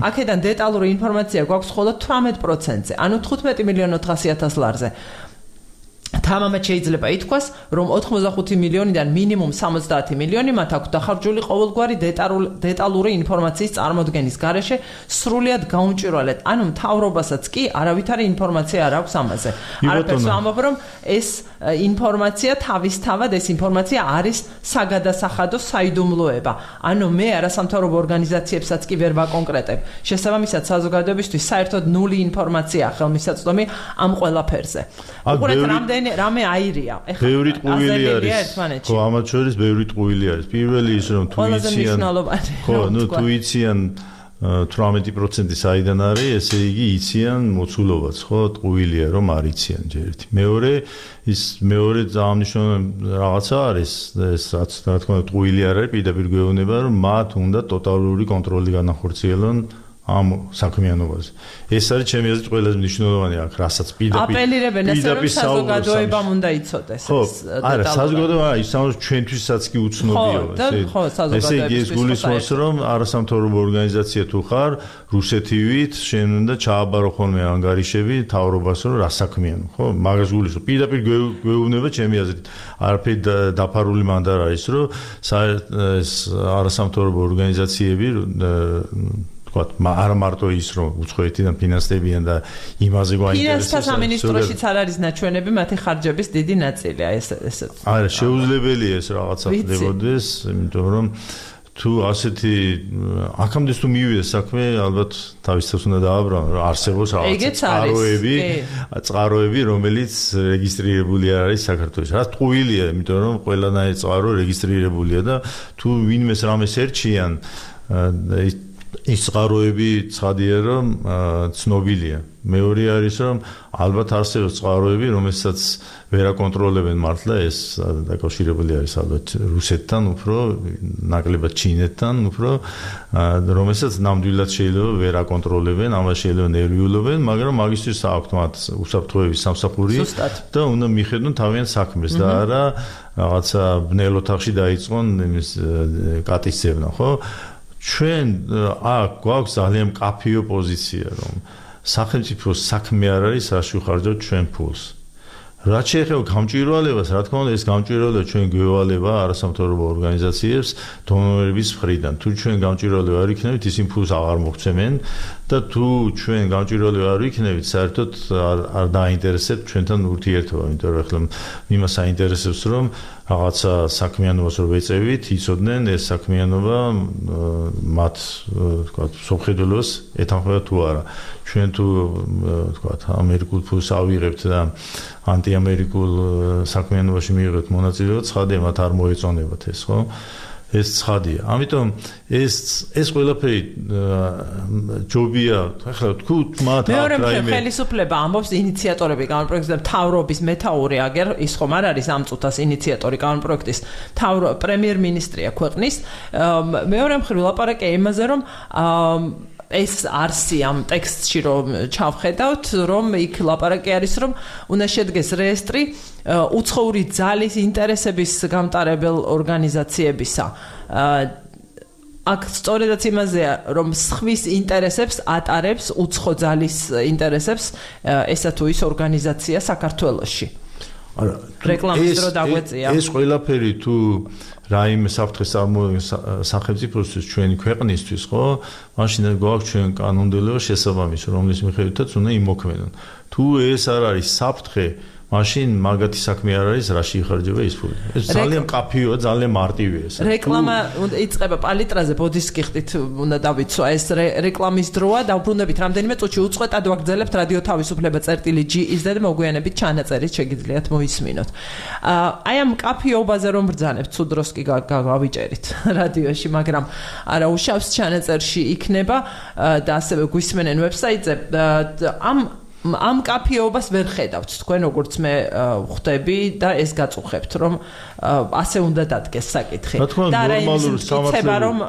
აქედან დეტალური ინფორმაცია გვაქვს მხოლოდ თვრამეტ პროცენტზე, ანუ თხუთმეტი მილიონი ოთხასი ათასი ლარზე. თამამად შეიძლება ითქვას, რომ ოთხმოცდახუთი მილიონიდან მინიმუმ სამოცდაათი მილიონი მათ აქვს დახარჯული ყოველგვარი დეტალური ინფორმაციის წარმოდგენის გარეშე სრულიად გაუმჭვირვალედ, ანუ მთავრობასაც კი არავითარი ინფორმაცია არ აქვს ამაზე. არაფერს ვამბობ, რომ ეს ინფორმაცია თავისთავად ეს ინფორმაცია არის საგადასახადო საიდუმლოება. ანუ მე არასამთავრობო ორგანიზაციებსაც კი ვერ ვაკონკრეტებ. შესაბამისად საზოგადოებისთვის საერთოდ ნული ინფორმაცია ხელმისაწვდომი ამ ყველაფერზე. უყურეთ რამდენი რამე აირია. ეხლა ბევრი ტყუილი არის. ხო, ამათ შორის ბევრი ტყუილი არის. პირველი ის რომ თუ იციან ხო, ნუ თუ იციან თვრამეტი პროცენტი საიდან არის, ესე იგი იციან მოცულობაც, ხო, ტყუილია რომ არ იციან ჯერ ერთი. მეორე ის მეორე ძამნიშნული რაღაცა არის, ეს რაც რა თქმა უნდა ტყუილი არ არის, პირდაპირ გვეუბნება რომ მათ უნდა ტოტალური კონტროლი განახორციელონ ამ საქმიანობაზე. ეს არის ჩემი აზრით ყველაზე მნიშვნელოვანი აქ, რასაც პირდაპირ აპელირებენ ესე რომ საზოგადოებამ უნდა იცოდეს ეს. ხო, არა, საზოგადოება ისაუბრებს ჩვენთვისაც კი უცნობია ეს. ესე იგი ეს გულისხმობს რომ არასამთავრობო ორგანიზაცია თუ ხარ, რუსეთივით შენ უნდა ჩააბარო ხოლმე ანგარიშები თავრობას რომ რა საქმიანო, ხო? მაგას გულისხმობს. პირდაპირ გვეუბნება ჩემი აზრით, არაფერი დაფარული მანდ არ არის, რომ ეს არასამთავრობო ორგანიზაციები თქვა, არა მარტო ის რომ უცხოეთიდან ფინანსდებიან და იმაზე გვაინტერესებს. ფინანსთა სამინისტროშიც არ არის ნაჩვენები მათი ხარჯების დიდი ნაწილია ეს ეს. არა, შეუძლებელია ეს რაღაცა ხდებოდეს, იმიტომ რომ თუ ასეთი აქამდე თუ მივიდეს საქმე, ალბათ თავისთავად უნდა დააბრუნო, რომ არსებობს რაღაცა წყაროები, წყაროები, რომელიც რეგისტრირებული არ არის საქართველოს. რა ტყუილია, იმიტომ რომ ყველანაირი წყარო რეგისტრირებულია და თუ ვინმეს რამეს ერჩიან, ის წყაროები ცხადია რომ ცნობილია. მეორე არის რომ ალბათ არსებობს წყაროები, რომელსაც ვერ აკონტროლებენ მართლა ეს დაკავშირებული არის ალბათ რუსეთთან, უფრო ნაკლებად ჩინეთთან, უფრო რომელსაც ნამდვილად შეიძლება ვერ აკონტროლებენ, ამას შეიძლება ნერვიულობენ, მაგრამ მაგისთვის აქვთ მათ უსაფრთხოების სამსახური და უნდა მიხედონ თავიანთ საქმეს და არა რაღაცა ბნელ ოთახში დაიწყონ იმის კატის ძებნა, ხო? ჩვენ აქ გვაქვს ძალიან მკაფიო პოზიცია, რომ სახელმწიფოს საქმე არ არის რაში ვხარჯავთ ჩვენ ფულს. რაც შეეხება გამჭვირვალებას, რა თქმა უნდა, ეს გამჭვირვალება ჩვენ გვევალება არასამთავრობო ორგანიზაციებს დონორების მხრიდან. თუ ჩვენ გამჭვირვალება არ იქნებით, ისინი ფულს აღარ მოგვცემენ და თუ ჩვენ გამჭვირვალება არ იქნებით, საერთოდ არ არ დაინტერესებთ ჩვენთან ურთიერთობა, იმიტომ რომ ახლა იმას აინტერესებს, რომ რაღაცა საქმიანობას რო ვეწევით, იცოდნენ ეს საქმიანობა მათ თქვა სოფხედულოს ეთანხმება თუ არა. ჩვენ თუ თქვა ამერიკულ ფულს ავიღებთ და ანტიამერიკულ საქმიანობაში მიიღებთ მონაწილეობა, ცხადია მათ არ მოეწონებათ ეს, ხო? ეს ცხადია. ამიტომ ეს ეს ყველაფერი ჯობია, ახლა თქვით მათ მეორე მხრივ ხელისუფლება ამბობს ინიციატორები კანონპროექტის მთავრობის მეთაური აგერ ის ხომ არ არის ამ წუთას ინიციატორი კანონპროექტის მთავრო პრემიერ-მინისტრია ქვეყნის. მეორე მხრივ ლაპარაკია იმაზე რომ ეს არსი ამ ტექსტში რომ ჩავხედავთ, რომ იქ ლაპარაკი არის, რომ უნდა შედგეს რეესტრი უცხოური ძალის ინტერესების გამტარებელ ორგანიზაციებისა. აქ სწორედაც იმაზეა, რომ სხვის ინტერესებს ატარებს უცხო ძალის ინტერესებს ესა თუ ის ორგანიზაცია საქართველოში. არა, რეკლამის დრო დაგვეწია. ეს ყველაფერი თუ რაიმე საფრთხეს წარმოადგენს სახელმწიფოსთვის ჩვენი ქვეყნისთვის, ხო? მაშინ გვაქვს ჩვენ კანონმდებლობა შესაბამისი, რომლის მიხედვითაც უნდა იმოქმედონ. თუ ეს არ არის საფრთხე, მაშინ მაგათი საქმე არ არის, რაში იხარჯება ის ფული. ეს ძალიან მკაფიოა, ძალიან მარტივია ეს. რეკლამა იწყება პალიტრაზე, ბოდის კიხტით უნდა დავიცვა ეს რეკლამის დროა, დავბრუნებით რამდენიმე წუთში უწყვეტად ვაგრძელებთ რადიო თავისუფლება წერტილი ჯი ის და მოგვიანებით ჩანაწერით შეგიძლიათ მოისმინოთ. აი ამ მკაფიობაზე რომ ბრძანებთ, თუ დროს კი გავიჭერით რადიოში, მაგრამ არა უშავს ჩანაწერში იქნება და ასევე გვისმენენ ვებსაიტზე. ამ ამ კაფეობას ვერ ხედავთ თქვენ როგორც მე ხვდები და ეს გაწუხებთ რომ ასე უნდა დადგეს საკითხი და ნორმალურ სამართლებრივ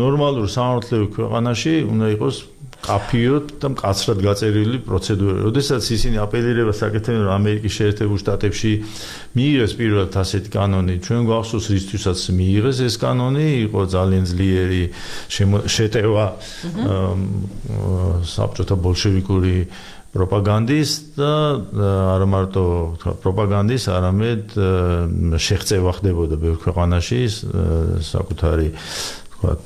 ნორმალურ სამართლებრივ ქვეყანაში უნდა იყოს კაფეო და მკაცრად გაწერილი პროცედურა. როდესაც ისინი აპელირებას აკეთებენ რომ ამერიკის შეერთებულ შტატებში მიიღეს პირველად ასეთი კანონი, ჩვენ გვახსოვს რისთვისაც მიიღეს ეს კანონი, იყო ძალიან ძლიერი შეტევა საბჭოთა ბოლშევიკური პროპაგანდის და არა მარტო პროპაგანდის, არამედ შეღწევა ხდებოდა ბევრ ქვეყანაში საკუთარი ვთქვათ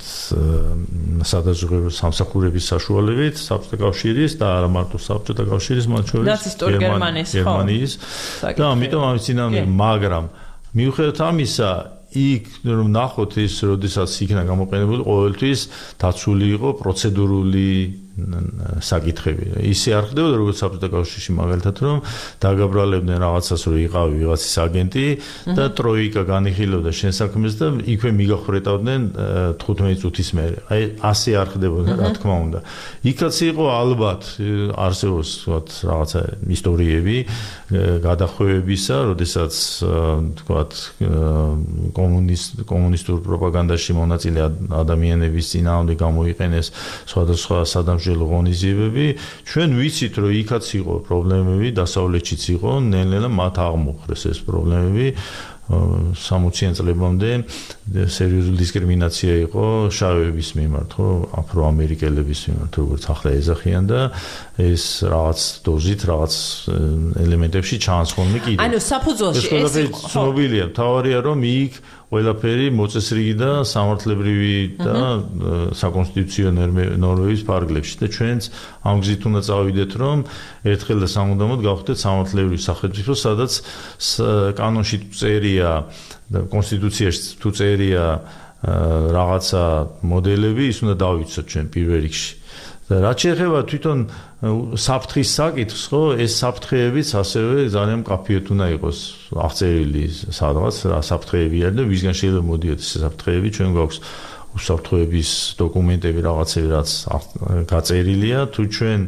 სადაზღვევო სამსახურების საშუალებით საბჭოთა კავშირის და არა მარტო საბჭოთა კავშირის, მათ შორის გერმანიის და ამიტომ ამის წინამდე, მაგრამ მიუხედავად ამისა იქ რომ ნახოთ ის, როდესაც იქნა გამოყენებული ყოველთვის დაცული იყო პროცედურული საკითხები. ისე არ ხდებოდა როგორც საბჭოთა კავშირში მაგალითად რომ დაგაბრალებდნენ რაღაცას რომ იყავი ვიღაცის აგენტი და ტროიკა განიხილავდა შენ საქმეს და იქვე მიგახრეტავდნენ თხუთმეტი წუთის მერე. აი ასე არ ხდებოდა რა თქმა უნდა. იქაც იყო ალბათ არსებობს ვთქვათ რაღაცა ისტორიები გადახვევებისა, როდესაც ვთქვათ კომუნისტ კომუნისტურ პროპაგანდაში მონაწილე ადამიანების წინააღმდეგ გამოიყენეს სხვადასხვა სადამსჯელო ღონისძიებები. ჩვენ ვიცით რომ იქაც იყო პრობლემები, დასავლეთშიც იყო, ნელ-ნელა მათ აღმოხვრეს ეს პრობლემები. სამოციან წლებამდე სერიოზული დისკრიმინაცია იყო შავების მიმართ, ხო, აფროამერიკელების მიმართ, როგორც ახლა ეძახიან და ეს რაღაც დოზით, რაღაც ელემენტებში ჩანს ხოლმე კიდევ. ანუ საფუძველში ეს იყო ცნობილია, თავარია რომ იქ ყველაფერი მოწესრიგი და სამართლებრივი და საკონსტიტუციო ნორმების ფარგლებში და ჩვენც ამ გზით უნდა წავიდეთ, რომ ერთხელ და სამუდამოდ გავხდეთ სამართლებრივი სახელმწიფო, სადაც კანონში თუ წერია და კონსტიტუციაში თუ წერია რაღაცა მოდელები, ის უნდა დავიცოთ ჩვენ პირველ რიგში. და რაც შეეხება თვითონ საფრთხის საკითხს, ხო, ეს საფრთხეებიც ასევე ძალიან მკაფიოდ უნდა იყოს აღწერილი სადღაც რა საფრთხეები არის და ვისგან შეიძლება მოდიოთ ეს საფრთხეები, ჩვენ გვაქვს უსაფრთხოების დოკუმენტები რაღაცები, რაც გაწერილია, თუ ჩვენ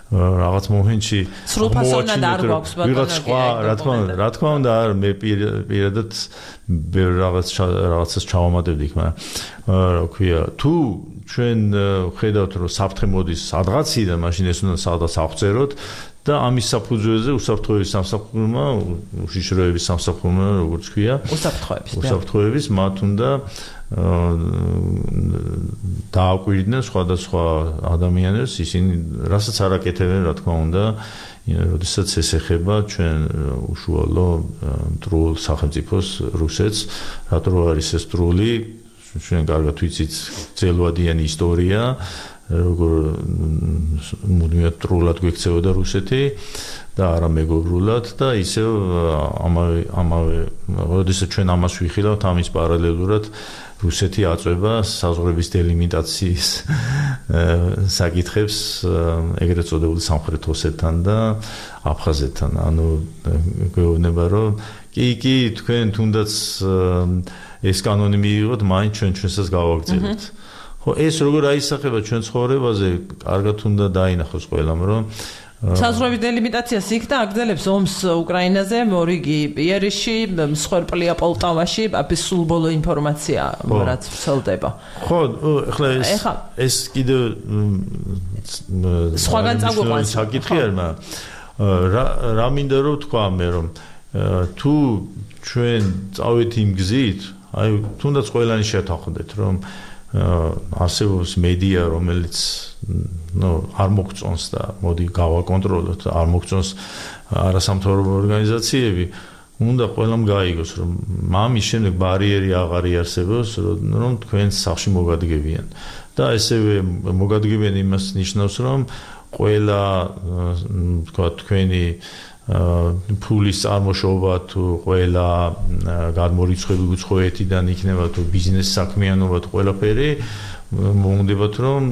რაღაც მომენტში სრულფასოვნად არ გვაქვს ვიღაც სხვა, რა თქმა უნდა, რა თქმა უნდა, მე პირადად ბევრ რაღაც რაღაცას ჩავამატებდი, მაგრამ რა ქვია, თუ ჩვენ ხედავთ, რომ საფრთხე მოდის სადღაციდან, მაშინ ეს უნდა სადღაც აღწეროთ და ამის საფუძველზე უსაფრთხოების სამსახურმა, უშიშროების სამსახურმა, როგორც ქვია, უსაფრთხოების, უსაფრთხოების მათ უნდა დააკვირდნენ სხვადასხვა ადამიანებს, ისინი რასაც არ აკეთებენ, რა თქმა უნდა, როდესაც ეს ეხება ჩვენ უშუალო მტრულ სახელმწიფოს რუსეთს, რატო არის ეს მტრული, ჩვენ კარგად ვიცით ძელვადიანი ისტორია, როგორ მუდმივად მტრულად გვექცეოდა რუსეთი და არა მეგობრულად და ისევ ამავე ამავე როდესაც ჩვენ ამას ვიხილავთ, ამის პარალელურად რუსეთი აწვება საზღვრების დელიმიტაციის საკითხებს ეგრეთ წოდებული სამხრეთ ოსეთთან და აფხაზეთთან. ანუ გვეუბნება, რომ კი, კი, თქვენ თუნდაც ეს კანონი მიიღოთ, მაინც ჩვენ ჩვენსაც გავაგრძელებთ. ხო, ეს როგორ აისახება ჩვენ ცხოვრებაზე, კარგად უნდა დაინახოს ყველამ, რომ საზღვრების დელიმიტაციას იქ და აგრძელებს ომს უკრაინაზე, მორიგი პიერში, მსხვერპლია პოლტავაში, აბის სულ ბოლო ინფორმაცია, რაც ვრცელდება. ხო, ეხლა ეს ეს კიდე სხვაგან წაგვიყვანს საკითხი არის, მაგრამ რა რა მინდა რომ თქვა მე, რომ თუ ჩვენ წავით იმ გზით, აი თუნდაც ყველანი შეთანხმდეთ, რომ არსებობს მედია, რომელიც ნუ არ მოგწონს და მოდი გავაკონტროლოთ, არ მოგწონს არასამთავრობო ორგანიზაციები, უნდა ყველამ გაიგოს, რომ მამის შემდეგ ბარიერი აღარ იარსებობს, რომ თქვენ სახში მოგადგებიან. და ესევე მოგადგებიან იმას ნიშნავს, რომ ყველა თქვა თქვენი ფულის წარმოშობა თუ ყველა გადმორიცხვები უცხოეთიდან იქნება თუ ბიზნეს საქმიანობა თუ ყველაფერი მომუნდებათ რომ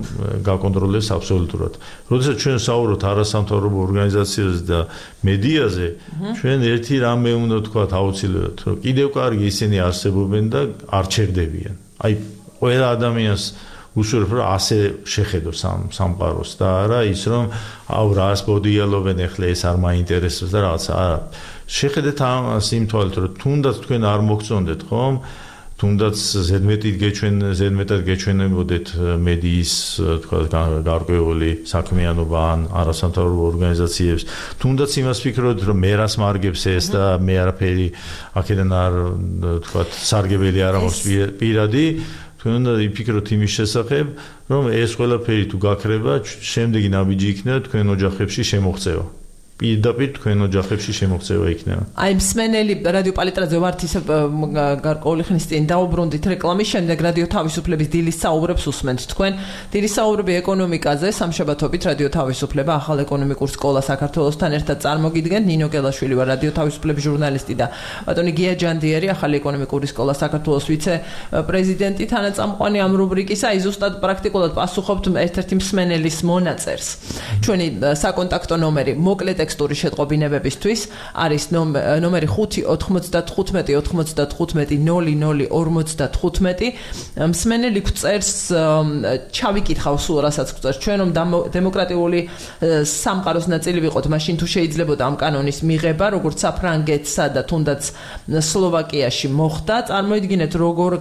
გაკონტროლდეს აბსოლუტურად. როდესაც ჩვენ საუბრობთ არასამთავრობო ორგანიზაციაზე და მედიაზე, ჩვენ ერთი რამე უნდა ვთქვათ აუცილებლად, რომ კიდევ კარგი ისინი არსებობენ და არ ჩერდებიან. აი ყველა ადამიანს უშუალოდ რომ ასე შეხედოს ამ სამყაროს და არა ის რომ აუ რას მოდიალობენ ეხლა ეს არ მაინტერესებს და რაღაც არა შეხედეთ ამას იმ თვალით რომ თუნდაც თქვენ არ მოგწონდეთ ხომ თუნდაც ზედმეტად გეჩვენ ზედმეტად გეჩვენებოდეთ მედიის თქვა გარკვეული საქმიანობა ან არასამთავრობო ორგანიზაციებს თუნდაც იმას ფიქრობთ რომ მე რას მარგებს ეს და მე არაფერი აქედან არ თქვა სარგებელი არ აქვს პირადი თქვენ უნდა იფიქროთ იმის შესახებ, რომ ეს ყველაფერი თუ გაქრება, შემდეგი ნაბიჯი იქნება თქვენ ოჯახებში შემოღწევა. პირდაპირ თქვენ ოჯახებში შემოღწევა იქნება. აი მსმენელი რადიო პალიტრაძე ვართ ისე გარკვეული ხნის წინ დაუბრუნდით რეკლამის შემდეგ რადიო თავისუფლების დილის საუბრებს უსმენთ თქვენ. დილის საუბრები ეკონომიკაზე სამშაბათობით რადიო თავისუფლება ახალ ეკონომიკურ სკოლას საქართველოსთან ერთად წარმოგიდგენთ. ნინო გელაშვილი ვარ რადიო თავისუფლების ჟურნალისტი და ბატონი გია ჯანდიერი ახალი ეკონომიკური სკოლა საქართველოს ვიცე-პრეზიდენტი თანაწამყვანი ამ რუბრიკისა. აი ზუსტად პრაქტიკულად პასუხობთ ერთ-ერთი მსმენელის მონაწერს. ჩვენი საკონტაქტო ნომერი მოკლედ ტექსტური შეტყობინებებისთვის არის ნომერი ხუთი ოთხმოცდათხუთმეტი ოთხმოცდათხუთმეტი ნული ნული ორმოცდათხუთმეტი. მსმენელი გვწერს ჩავიკითხავ სულ რასაც გვწერს ჩვენ რომ დემოკრატიული სამყაროს ნაწილი ვიყოთ, მაშინ თუ შეიძლებოდა ამ კანონის მიღება, როგორც საფრანგეთსა და თუნდაც სლოვაკიაში მოხდა, წარმოიდგინეთ როგორ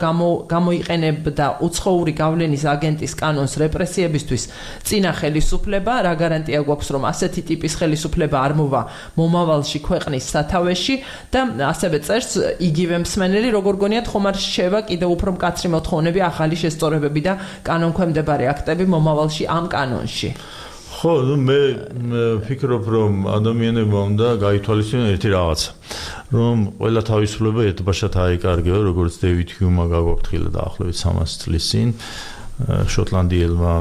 გამოიყენებდა უცხოური გავლენის აგენტის კანონს რეპრესიებისთვის წინა ხელისუფლება, რა გარანტია გვაქვს რომ ასეთი ტიპის ხელისუფლება არ მოვა მომავალში ქვეყნის სათავეში და ასევე წერს იგივე მსმენელი როგორ გონიათ ხომ არ შევა კიდევ უფრო მკაცრი მოთხოვნები ახალი შესწორებები და კანონქვემდებარე აქტები მომავალში ამ კანონში. ხო, ნუ მე ვფიქრობ, რომ ადამიანებმა უნდა გაითვალისწინონ ერთი რაღაცა, რომ ყველა თავისუფლება ერთბაშად აიკარგება, როგორც დევიდ ჰიუმმა გაგვაფრთხილა დაახლოებით სამას წლის წინ, შოტლანდიელმა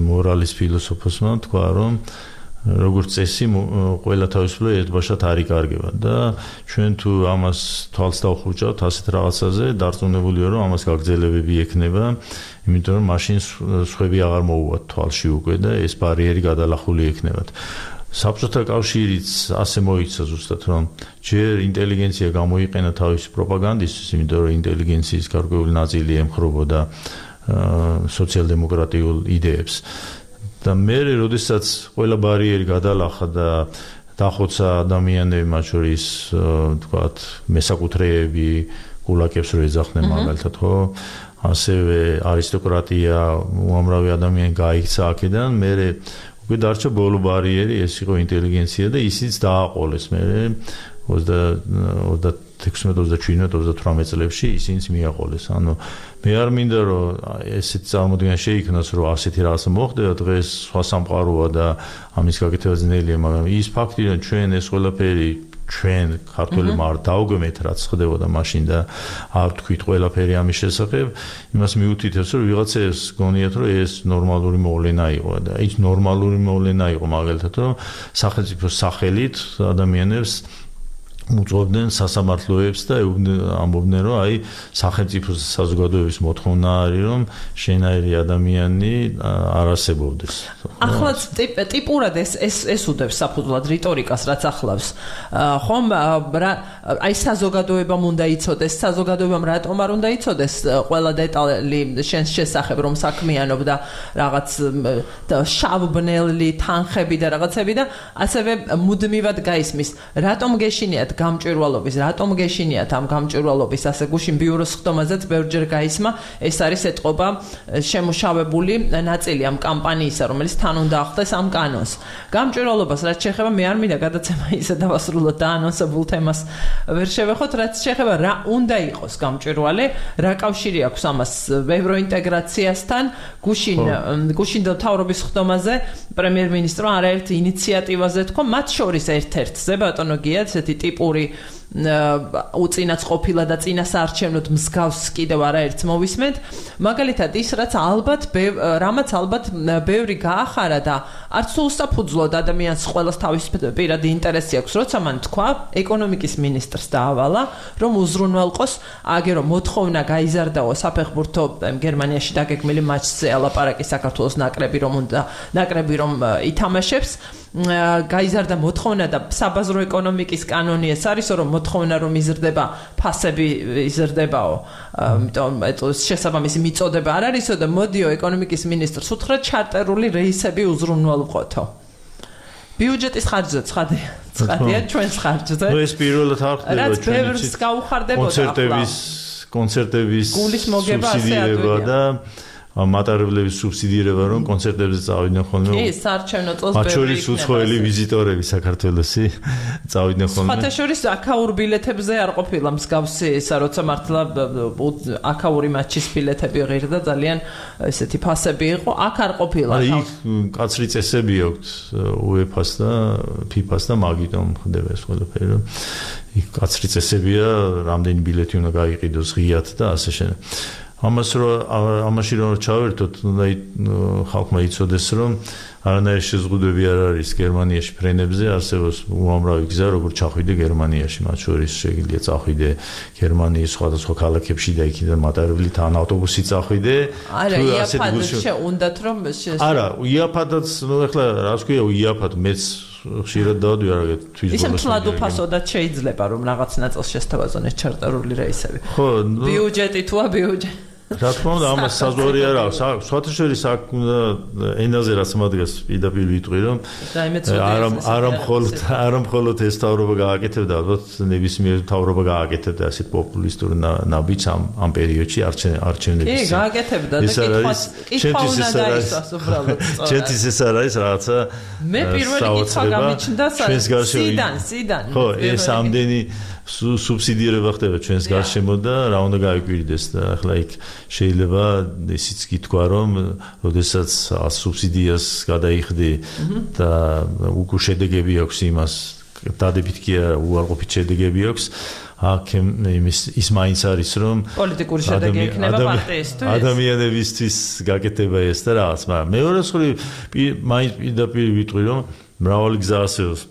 მორალის ფილოსოფოსმა თქვა, რომ როგორც წესი ყველა თავისუფლება ერთბაშად არ იკარგება და ჩვენ თუ ამას თვალს დავხურჭავთ ასეთ რაღაცაზე, დარწმუნებული ვარ, რომ ამას გაგრძელებები ექნება, იმიტომ რომ მაშინ სხვები აღარ მოუვათ თვალში უკვე და ეს ბარიერი გადალახული ექნებათ. საბჭოთა კავშირიც ასე მოიქცა ზუსტად, რომ ჯერ ინტელიგენცია გამოიყენა თავისი პროპაგანდისთვის, იმიტომ რომ ინტელიგენციის გარკვეული ნაწილი ემხრობოდა სოციალ-დემოკრატიულ იდეებს. და მე როდესაც ყველა ბარიერი გადალახა და დახოცა ადამიანები, მათ შორის თქვათ მესაკუთრეები, გულაკებს რო ეძახდნენ მაგალითად, ხო? ასევე არისტოკრატია, უამრავი ადამიანი გაიქცა აქედან, მე უკვე დარჩა ბოლო ბარიერი, ეს იყო ინტელიგენცია და ისიც დააყოლეს მე ოცდაექვსმეტ, ოცდაშვიდმეტ, ოცდათვრამეტ წლებში ისინიც მიაყოლეს. ანუ მე არ მინდა რომ ესეთ წარმოდგენა შეიქმნას, რომ ასეთი რაღაცა მოხდება, დღეს სხვა სამყაროა და ამის გაკეთება ძნელია, მაგრამ ის ფაქტი, რომ ჩვენ ეს ყველაფერი ჩვენ ქართველებმა არ დაუგმეთ, რაც ხდებოდა მაშინ და არ თქვით ყველაფერი ამის შესახებ, იმას მიუთითებს, რომ ვიღაცებს გონიათ, რომ ეს ნორმალური მოვლენა იყო და ის ნორმალური მოვლენა იყო მაგალითად, რომ სახელმწიფოს სახელით ადამიანებს უწევდნენ სასამართლოებს და ამბობდნენ, რომ აი სახელმწიფოს საზოგადოების მოთხოვნა არის, რომ შენაირი ადამიანი არ არსებობდეს. ახლაც ტიპურად ეს ეს ეს უდევს საფუძვლად რიტორიკას, რაც ახლავს. ხომ აი საზოგადოებამ უნდა იცოდეს, საზოგადოებამ რატომ არ უნდა იცოდეს ყველა დეტალი შენს შესახებ, რომ საქმიანობ და რაღაც შავბნელი თანხები და რაღაცები და ასევე მუდმივად გაისმის, რატომ გეშინიათ გამჭვირვალობის, რატომ გეშინიათ ამ გამჭვირვალობის ასე გუშინ ბიუროს ხდომაზეც ბევრჯერ გაისმა, ეს არის ეთყობა შემუშავებული ნაწილი ამ კამპანიისა, რომელიც თან უნდა ახდეს ამ კანონს. გამჭვირვალობას რაც შეეხება, მე არ მინდა გადაცემა ისე დავასრულოთ და ანონსებულ თემას ვერ შევეხოთ, რაც შეეხება რა უნდა იყოს გამჭვირვალე, რა კავშირი აქვს ამას ევროინტეგრაციასთან, გუშინ გუშინ მთავრობის ხდომაზე პრემიერ-მინისტრმა არაერთ ინიციატივაზე თქვა, მათ შორის ერთ-ერთზე ბატონო გია, ესეთი ტიპური უწინაც ყოფილა და წინასაარჩევნოდ მსგავს კიდევ არაერთს მოვისმენთ, მაგალითად ის რაც ალბათ რამაც ალბათ ბევრი გაახარა და არც უსაფუძვლოდ ადამიანს ყველას თავის პირადი ინტერესი აქვს, როცა მან თქვა ეკონომიკის მინისტრს დაავალა, რომ უზრუნველყოს აგერო მოთხოვნა გაიზარდაო საფეხბურთო გერმანიაში დაგეგმილი მატჩზე ალაპარაკი საქართველოს ნაკრები რომ უნდა ნაკრები რომ ითამაშებს, გაიზარდა მოთხოვნა და საბაზრო ეკონომიკის კანონი ეს არის, რომ მოთხოვნა რომ იზრდება, ფასები იზრდებაო, ამიტომ ეს შესაბამისი მიწოდება არ არისო და მოდიო ეკონომიკის მინისტრს უთხრა ჩარტერული რეისები უზრუნველყოთო. ბიუჯეტის ხარჯზე ცხადია, ცხადია ჩვენს ხარჯზე. ნუ ეს პირველად არ ხდება, რაც ბევრს გაუხარდებოდა კონცერტების კონცერტების სუბსიდირება და მატარებლების სუბსიდირება, რომ კონცერტებზე წავიდნენ ხოლმე. კი, საარჩევნო წელს მათ შორის უცხოელი ვიზიტორები საქართველოსი წავიდნენ ხოლმე. სხვათა შორის აქაურ ბილეთებზე არ ყოფილა მსგავსი ისა, როცა მართლა აქაური მატჩის ბილეთები ღირდა ძალიან ესეთი ფასები იყო, აქ არ ყოფილა. აი, იქ კაცრი წესები აქვს უეფას და ფიფას და მაგიტომ ხდება ეს ყველაფერი, რომ იქ კაცრი წესებია, რამდენი ბილეთი უნდა გაიყიდოს ღიად და ასე შემდეგ. ამას რომ ამაში რომ ჩავერთოთ, უნდა ხალხმა იცოდეს, რომ არანაირი შეზღუდვები არ არის გერმანიაში ფრენებზე, არსებობს უამრავი გზა, როგორ ჩახვიდე გერმანიაში, მათ შორის შეიძლება წახვიდე გერმანიის სხვადასხვა ქალაქებში და იქიდან მატარებლით ან ავტობუსით წახვიდე. არა, იაფად შეუნდათ რომ არა, იაფადაც, ნუ ეხლა რას ქვია იაფად, მეც ხშირად დავდივარ რაღაც თვის ბოლოს. ისე მთლად უფასოდაც შეიძლება რომ რაღაც ნაწილს შესთავაზონ ეს ჩარტერული რეისები. ხო, ბიუჯეტი თუა ბიუჯეტი. რა თქმა უნდა, ამას საზღვარი არ აქვს. სხვათა შორის აქ უნდა ენაზე რაც მადგას პირდაპირ ვიტყვი, რომ არა არა მხოლოდ არა მხოლოდ ეს თავრობა გააკეთებდა, ალბათ ნებისმიერ თავრობა გააკეთებდა ასეთ პოპულისტურ ნაბიჯს ამ ამ პერიოდში არჩევნების. კი, გააკეთებდა და კითხავს კითხვა უნდა დაისვას უბრალოდ. ჩემთვის ეს არ არის რაღაცა. მე პირველი კითხვა გამიჩნდა სიდან, სიდან. ხო, ეს ამდენი სუბსიდირება ხდება ჩვენს გარშემო და რა უნდა გაიკვირდეს და ახლა იქ შეიძლება ისიც გითქვა რომ როდესაც სუბსიდიას გადაიხდი და უკვე შედეგები აქვს იმას დადებით კი არა უარყოფით შედეგები აქვს აქ იმის ის მაინც არის რომ პოლიტიკური შედეგი ექნება პარტიისთვის ადამიანებისთვის გაკეთება ეს და რაღაც მაგრამ მეორე მხრივ მაინც პირდაპირ ვიტყვი რომ მრავალი გზა არსებობს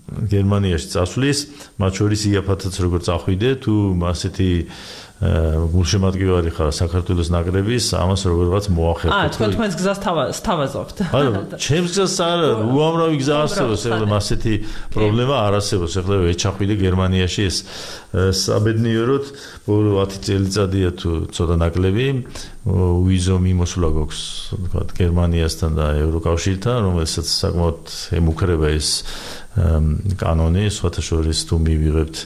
გერმანიაში წასვლის მათ შორის იაფათაც როგორ წახვიდე თუ ასეთი გულშემატკივარი ხარ საქართველოს ნაკრების ამას როგორღაც მოახერხოთ აა თქვენ თქვენს გზას თავაზობთ არა ჩემს გზას არა უამრავი გზა არსებობს ეხლა ასეთი პრობლემა არ არსებობს ეხლა ეჩახვიდე გერმანიაში ეს საბედნიეროდ ბოლო ათი წელიწადია თუ ცოტა ნაკლები ვიზო მიმოსვლა გვაქვს თქვა გერმანიასთან და ევროკავშირთან რომელსაც საკმაოდ ემუქრება ეს კანონი სხვათა შორის თუ მივიღებთ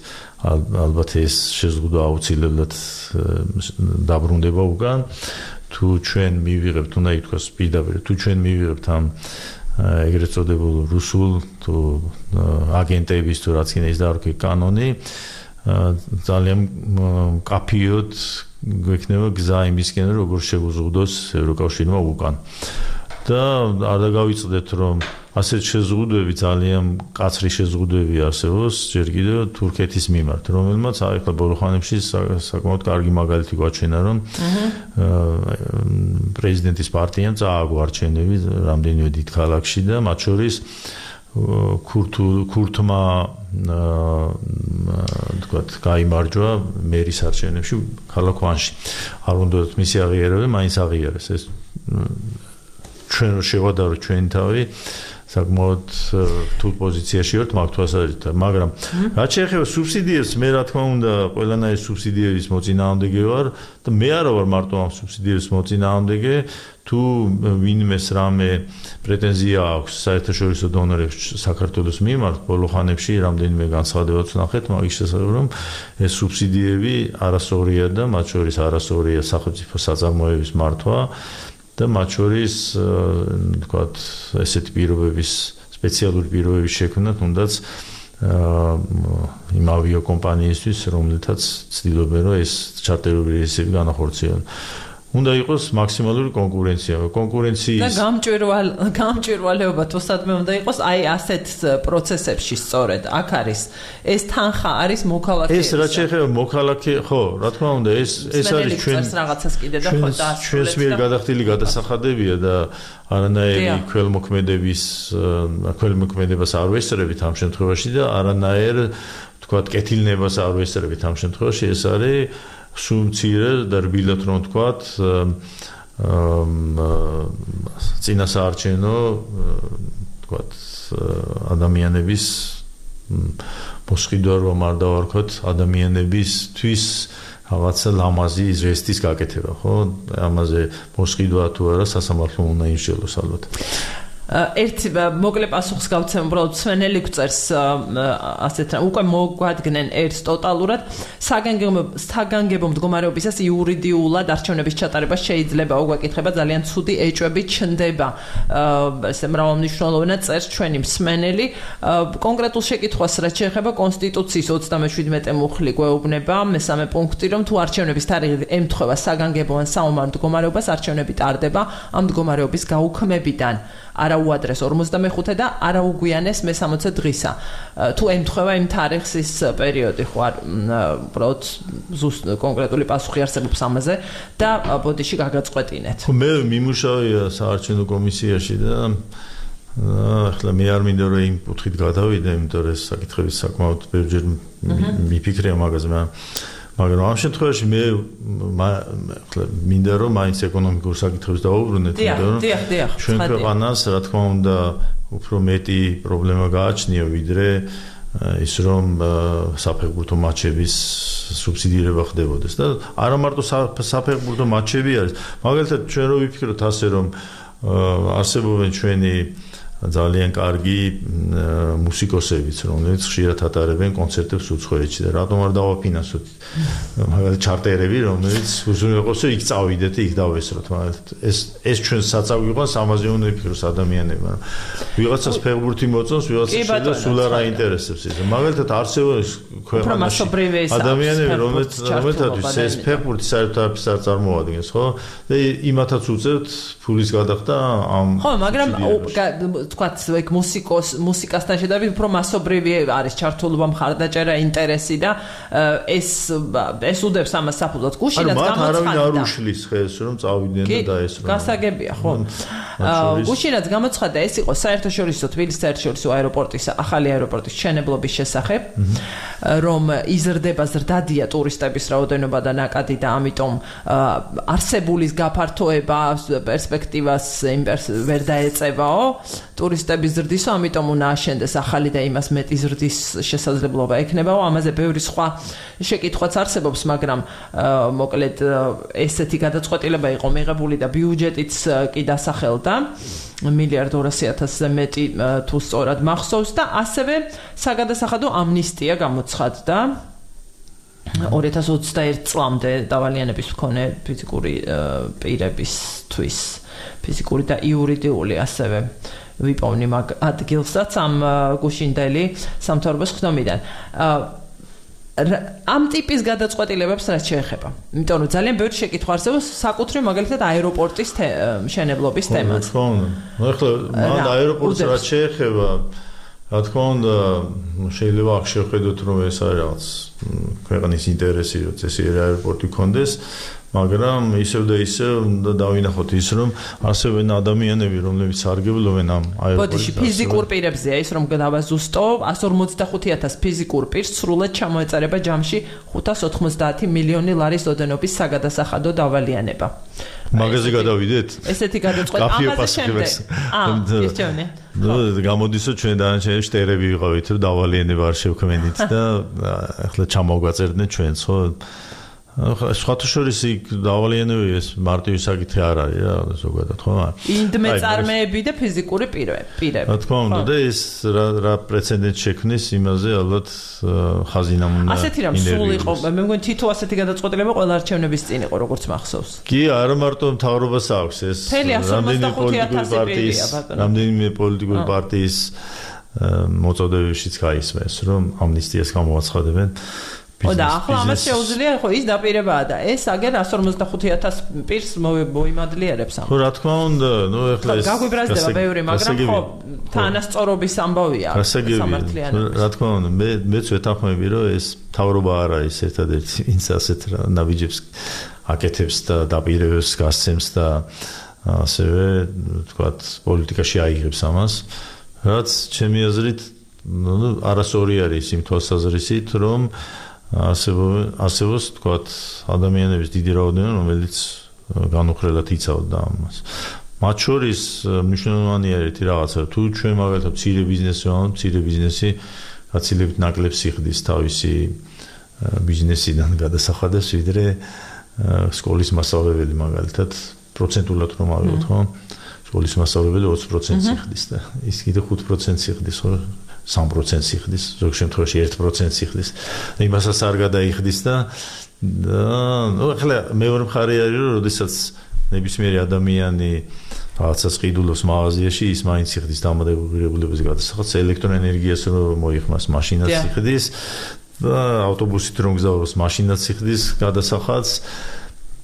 ალბათ ეს შეზღუდვა აუცილებლად დაბრუნდება უკან თუ ჩვენ მივიღებთ უნდა ითქვას პირდაპირ თუ ჩვენ მივიღებთ ამ ეგრეთ წოდებულ რუსულ თუ აგენტების თუ რაც კიდე ის დაარქვი კანონი ძალიან კაფიოდ გვექნება გზა იმისკენ როგორ შევუზღუდოს ევროკავშირმა უკან და არ დაგავიწყდეთ რომ ასეთ შეზღუდვები ძალიან კაცრი შეზღუდვები არსებობს ჯერ კიდევ თურქეთის მიმართ რომელმაც ახლა ბოლო ხანებში საკმაოდ კარგი მაგალითი გვაჩვენა რომ პრეზიდენტის პარტიამ წააგო არჩევნები რამდენიმე დიდ ქალაქში და მათ შორის ქურთმა თქვათ გაიმარჯვა მერის არჩევნებში ქალაქ ვანში არ უნდათ მისი აღიარება მაინც აღიარეს ეს ჩვენ შევადარო ჩვენი თავი საკმაოდ რთულ პოზიციაში ვართ მაგ თვალსაზრისით მაგრამ რაც შეეხება სუბსიდიებს მე რა თქმა უნდა ყველანაირი სუბსიდიების მოწინააღმდეგე ვარ და მე არა ვარ მარტო ამ სუბსიდიების მოწინააღმდეგე თუ ვინმეს რამე პრეტენზია აქვს საერთაშორისო დონორებს საქართველოს მიმართ ბოლო ხანებში რამდენიმე განცხადებაც ვნახეთ მაგის შესახებ რომ ეს სუბსიდიები არასწორია და მათ შორის არასწორია სახელმწიფო საწარმოების მართვა და მათ შორის თქვათ ესეთი პირობების სპეციალური პირობების შექმნა თუნდაც იმ ავიაკომპანიისთვის რომელთაც ცდილობენ რომ ეს ჩარტერული რეისები განახორციელონ უნდა იყოს მაქსიმალური კონკურენცია. კონკურენციის და გამჭვირვალ გამჭვირვალეობა თუ სადმე უნდა იყოს აი ასეთ პროცესებში სწორედ აქ არის ეს თანხა არის მოქალაქე ეს რაც შეეხება მოქალაქე ხო რა თქმა უნდა ეს ეს არის ჩვენ რაღაცას კიდე და ხო და ჩვენს მიერ გადახდილი გადასახადებია და არანაირი ქველმოქმედების ქველმოქმედებას არ ვესწრებით ამ შემთხვევაში და არანაირ თქვათ კეთილნებას არ ვესწრებით ამ შემთხვევაში ეს არის სუმცირე და რბილად რომ თქვათ წინასაარჩევნო თქვათ ადამიანების მოსყიდვა რომ არ დავარქვათ ადამიანებისთვის რაღაცა ლამაზი ზესტის გაკეთება ხო ამაზე მოსყიდვა თუ არა სასამართლო უნდა იმსჯელოს ალბათ ერთი მოკლე პასუხს გავცემ უბრალოდ სვენელი გვწერს ასეთ უკვე მოგვადგნენ ერთს ტოტალურად საგანგებო მდგომარეობისას იურიდიულად არჩევნების ჩატარება შეიძლება უგვეკითხება ძალიან ცუდი ეჭვები ჩნდება ესე მრავალმნიშვნელოვნად წერს ჩვენი მსმენელი კონკრეტულ შეკითხვას რაც შეეხება კონსტიტუციის ოცდამეშვიდმეტე მუხლი გვეუბნება მესამე პუნქტი რომ თუ არჩევნების თარიღი ემთხვევა საგანგებო ან საომარ მდგომარეობას არჩევნები ტარდება ამ მდგომარეობის გაუქმებიდან არა უადრეს ორმოცდამეხუთე და არა უგვიანეს მესამოცე დღისა. თუ ემთხვევა იმ თარიღს ის პერიოდი ხო არ უბრალოდ ზუსტ კონკრეტული პასუხი არსებობს ამაზე და ბოდიში გაგაწყვეტინეთ. მე მიმუშავია საარჩევნო კომისიაში და ახლა მე არ მინდა რომ იმ კუთხით გადავიდე, იმიტომ რომ ეს საკითხები საკმაოდ ბევრჯერ მიფიქრია მაგაზე, მაგრამ ამ შემთხვევაში მე ახლა მინდა რომ მაინც ეკონომიკურ საკითხებს დავუბრუნდეთ, იმიტომ რომ ჩვენ ქვეყანას რა თქმა უნდა უფრო მეტი პრობლემა გააჩნია ვიდრე ის რომ საფეხბურთო მატჩების სუბსიდირება ხდებოდეს და არა მარტო საფეხბურთო მატჩები არის მაგალითად ჩვენ რო ვიფიქროთ ასე რომ არსებობენ ჩვენი ძალიან კარგი მუსიკოსებიც, რომლებიც ხშირად ატარებენ კონცერტებს უცხოეთში და რატომ არ დავაფინანსოთ მაგალითად ჩარტერები, რომლებიც უზრუნველყოფს იქ წავიდეთ, იქ დავესროთ, მაგრამ ეს ეს ჩვენ საწავი იყოს, ამაზე უნდა იფიქროს ადამიანებმა. ვიღაცას ფეხბურთი მოწონს, ვიღაცას შეიძლება სულ არ აინტერესებს ეს. მაგალითად არსებობს ქვეყანაში ადამიანები, რომლებიც რომელთაც ეს ფეხბურთი საერთოდ არაფერს არ წარმოადგენს, ხო? და იმათაც უწევთ ფულის გადახდა ამ ხო, მაგრამ თქვათ ეგ მუსიკოს მუსიკასთან შედარებით უფრო მასობრივი არის ჩართულობა, მხარდაჭერა, ინტერესი და ეს ეს უდევს ამას საფუძვლად. გუშინაც გამოცხადდა. ანუ მათ არავინ არ უშლის ხეს, რომ წავიდნენ და დაესრნენ. გასაგებია, ხო. გუშინაც გამოცხადდა, ეს იყო საერთაშორისო თბილისის საერთაშორისო აეროპორტის ახალი აეროპორტის მშენებლობის შესახებ, რომ იზრდება ზრდადია ტურისტების რაოდენობა და ნაკადი და ამიტომ არსებულის გაფართოება პერსპექტივას ვერ დაეწევაო ტურისტების ზრდისო, ამიტომ უნდა აშენდეს ახალი და იმას მეტი ზრდის შესაძლებლობა ექნებაო. ამაზე ბევრი სხვა შეკითხვაც არსებობს, მაგრამ მოკლედ ესეთი გადაწყვეტილება იყო მიღებული და ბიუჯეტიც კი დასახელდა მილიარდ ორასი ათასზე მეტი თუ სწორად მახსოვს და ასევე საგადასახადო ამნისტია გამოცხადდა ორი ათას ოცდაერთი წლამდე დავალიანების მქონე ფიზიკური პირებისთვის, ფიზიკური და იურიდიული ასევე ვიპოვნი მაგ ადგილსაც ამ გუშინდელი სამთავრობოს ხდომიდან. ამ ტიპის გადაწყვეტილებებს რაც შეეხება. იმიტომ რომ ძალიან ბევრი შეკითხვა არსებობს საკუთრივ მაგალითად აეროპორტის მშენებლობის თემაზე. ხო, ხო. ახლა მან აეროპორტს რაც შეეხება, რა თქმა უნდა, შეიძლება აქ შევხედოთ, რომ ეს არის რაღაც ქვეყნის ინტერესი, რომ წესიერი აეროპორტი გქონდეს, მაგრამ ისევ და ისევ უნდა დავინახოთ ის, რომ არსებენ ადამიანები, რომლებიც სარგებლობენ ამ აეროპორტის. ბოდიში ფიზიკურ პირებზეა ის, რომ დავაზუსტო εκατს ორმოცდახუთი ათასი ფიზიკურ პირს სრულად ჩამოეწარება ჯამში ხუთას ოთხმოცდაათი მილიონი ლარის ოდენობის საგადასახადო დავალიანება. მაგაზე გადავიდეთ? ესეთი გადაწყვეტილება ამაზე შემდეგ. აა, ისჩვენე. ნუ გამოდისო ჩვენ დანარჩენი შტერები ვიყავით, რომ დავალიანება არ შევქმენით და ახლა ჩამოვგვაწერდნენ ჩვენც, ხო? სხვათა შორის იქ დავალიანებები ეს მარტივი საკითხი არ არის რა ზოგადად, ხო? ინდმეწარმეები და ფიზიკური პირები. რა თქმა უნდა და ეს რა რა პრეცედენტი შექმნის იმაზე ალბათ ხაზინამ უნდა. ასეთი რამ სულ იყო, მე მგონი თითო ასეთი გადაწყვეტილება ყველა არჩევნების წინ იყო, როგორც მახსოვს. კი, არა მარტო მთავრობას აქვს ეს რამდენიმე პოლიტიკური პარტიის, რამდენიმე პოლიტიკური პარტიის მოწოდებებშიც გაისმეს, რომ ამნისტიას გამოაცხადებენ. ო და ახლა ამას შეუძლია ხო ის დაპირებაა და ეს აგერ εκατს ორმოცდახუთი ათასი პირს მოიმადლიერებს ამ. ხო რა თქმა უნდა, ნუ ეხლა ეს გაგვიბრაზდება ბევრი, მაგრამ ხო თანასწორობის ამბავია სამართლიანობა. რა თქმა უნდა, მე მეც ვეთანხმები, რომ ეს მთავრობა არ არის ერთადერთი, ვინც ასეთ ნაბიჯებს აკეთებს და დაპირებებს გასცემს და ასევე თქვათ პოლიტიკაში აიღებს ამას, რაც ჩემი აზრით ნუ არასწორი არის იმ თვალსაზრისით, რომ არსებობს თქვათ ადამიანების დიდი რაოდენობა, რომელიც განუხრელად იცავდა ამას. მათ შორის მნიშვნელოვანი არის რაღაცა, თუ ჩვენ მაგალითად მცირე ბიზნესი ვართ, მცირე ბიზნესი გაცილებით ნაკლებს იხდის თავისი ბიზნესიდან გადასახადებს, ვიდრე სკოლის მასწავლებელი მაგალითად პროცენტულად რომ ავიღოთ, ხო? სკოლის მასწავლებელი ოცი პროცენტს იხდის და ის კიდე ხუთ პროცენტს იხდის, ხო? სამ პროცენტს იხდის, ზოგ შემთხვევაში ერთ პროცენტს იხდის. და იმასაც არ გადაიხდის და ნუ ახლა მეორე მხარე არის, რომ როდესაც ნებისმიერი ადამიანი რაღაცას ყიდულობს მაღაზიაში, ის მაინც იხდის დამოკიდებულების გადასახადს, ელექტროენერგიას რომ მოიხმას, მაშინაც იხდის და ავტობუსით რომ გზავნოს, მაშინაც იხდის გადასახადს.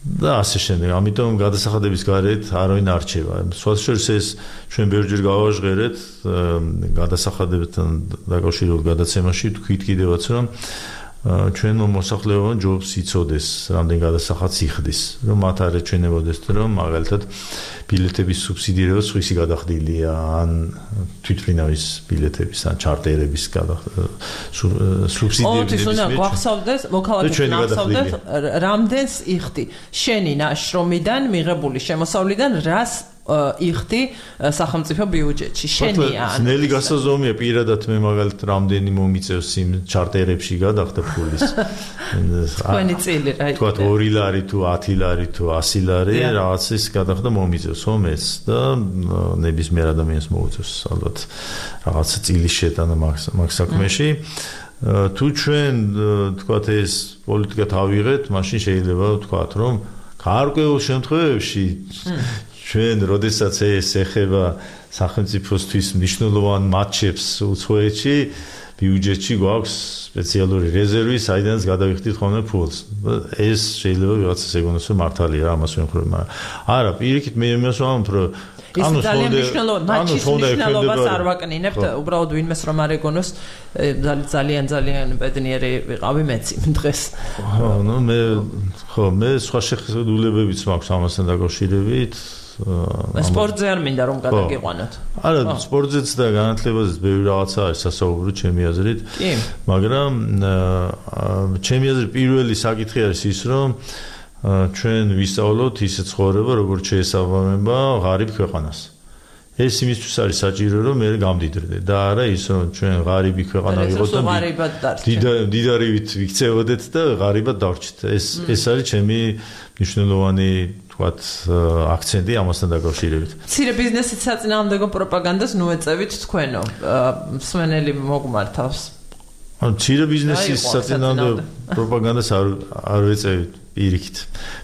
და ასე შემდეგ. ამიტომ გადასახადების გარეთ არავინ არ რჩება. სხვათა შორის ეს ჩვენ ბევრჯერ გავაჟღერეთ გადასახადებთან დაკავშირებულ გადაცემაში, თქვით კიდევაც რომ ჩვენო მოსახლეობამ ჯობს იცოდეს, რამდენ გადასახადს იხდის, რომ მათ არ ეჩვენებოდეს, რომ მაგალითად ბილეთების სუბსიდირება სხვისი გადახდილია, ან თვითმფრინავის ბილეთების, ან ჩარტერების სუბსიდირების. ოთის უნდა გვახსოვდეს, მოქალაქეებს გახსოვდეს, რამდენს იხდი შენი ნაშრომიდან მიღებული შემოსავლიდან, რას იხდი სახელმწიფო ბიუჯეტში შენია ნელი გასაზომია პირადად მე მაგალითად რამდენი მომიწევს იმ ჩარტერებში გადახდა ფულის თქვენი წილი რა თქვა ორი ლარი თუ ათი ლარი თუ ასი ლარი რაღაცის გადახდა მომიწევს ომეს და ნებისმიერ ადამიანს მოუწევს ალბათ რაღაცა წილის შეტანა მაგ საქმეში თუ ჩვენ თქვა ეს პოლიტიკა თავიღეთ მაშინ შეიძლება ვთქვათ რომ გარკვეულ შემთხვევებში ჩვენ როდესაც ეს ეხება სახელმწიფოსთვის მნიშვნელოვან მატჩებს უცხოეთში ბიუჯეტში გვაქვს სპეციალური რეზერვი საიდანაც გადავიხდით ხოლმე ფულს ეს შეიძლება ვიღაცას ეგონოს რომ მართალია რა ამას ვემხრობ მაგრამ არა პირიქით მე იმას ვამბობ რომ ის ძალიან მნიშვნელოვანი მატჩის მნიშვნელობას არ ვაკნინებთ უბრალოდ ვინმეს რომ არ ეგონოს ძალიან ძალიან ბედნიერი ვიყავი მეც იმ დღეს ხო ნუ მე ხო მე სხვა შეხედულებებიც მაქვს ამასთან დაკავშირებით სპორტზე არ მინდა რომ გადაგიყვანოთ. არა, სპორტზეც და განათლებაზეც ბევრი რაღაცა არის სასაუბრო ჩემი აზრით. კი. მაგრამ ჩემი აზრით პირველი საკითხი არის ის, რომ ჩვენ ვისწავლოთ ისე ცხოვრება, როგორც შეესაბამება ღარიბ ქვეყანას. ეს იმისთვის არის საჭირო, რომ მე გამდიდრდე და არა ის, რომ ჩვენ ღარიბი ქვეყანა ვიყოთ და დიდარივით ვიქცევოდეთ და ღარიბად დავრჩით. ეს ეს არის ჩემი მნიშვნელოვანი ვთქვათ აქცენტი ამასთან დაკავშირებით. მცირე ბიზნესის საწინააღმდეგო პროპაგანდას ნუ ეწევით თქვენო. მსმენელი მოგმართავს. ანუ მცირე ბიზნესის საწინააღმდეგო პროპაგანდას არ არ ეწევით პირიქით.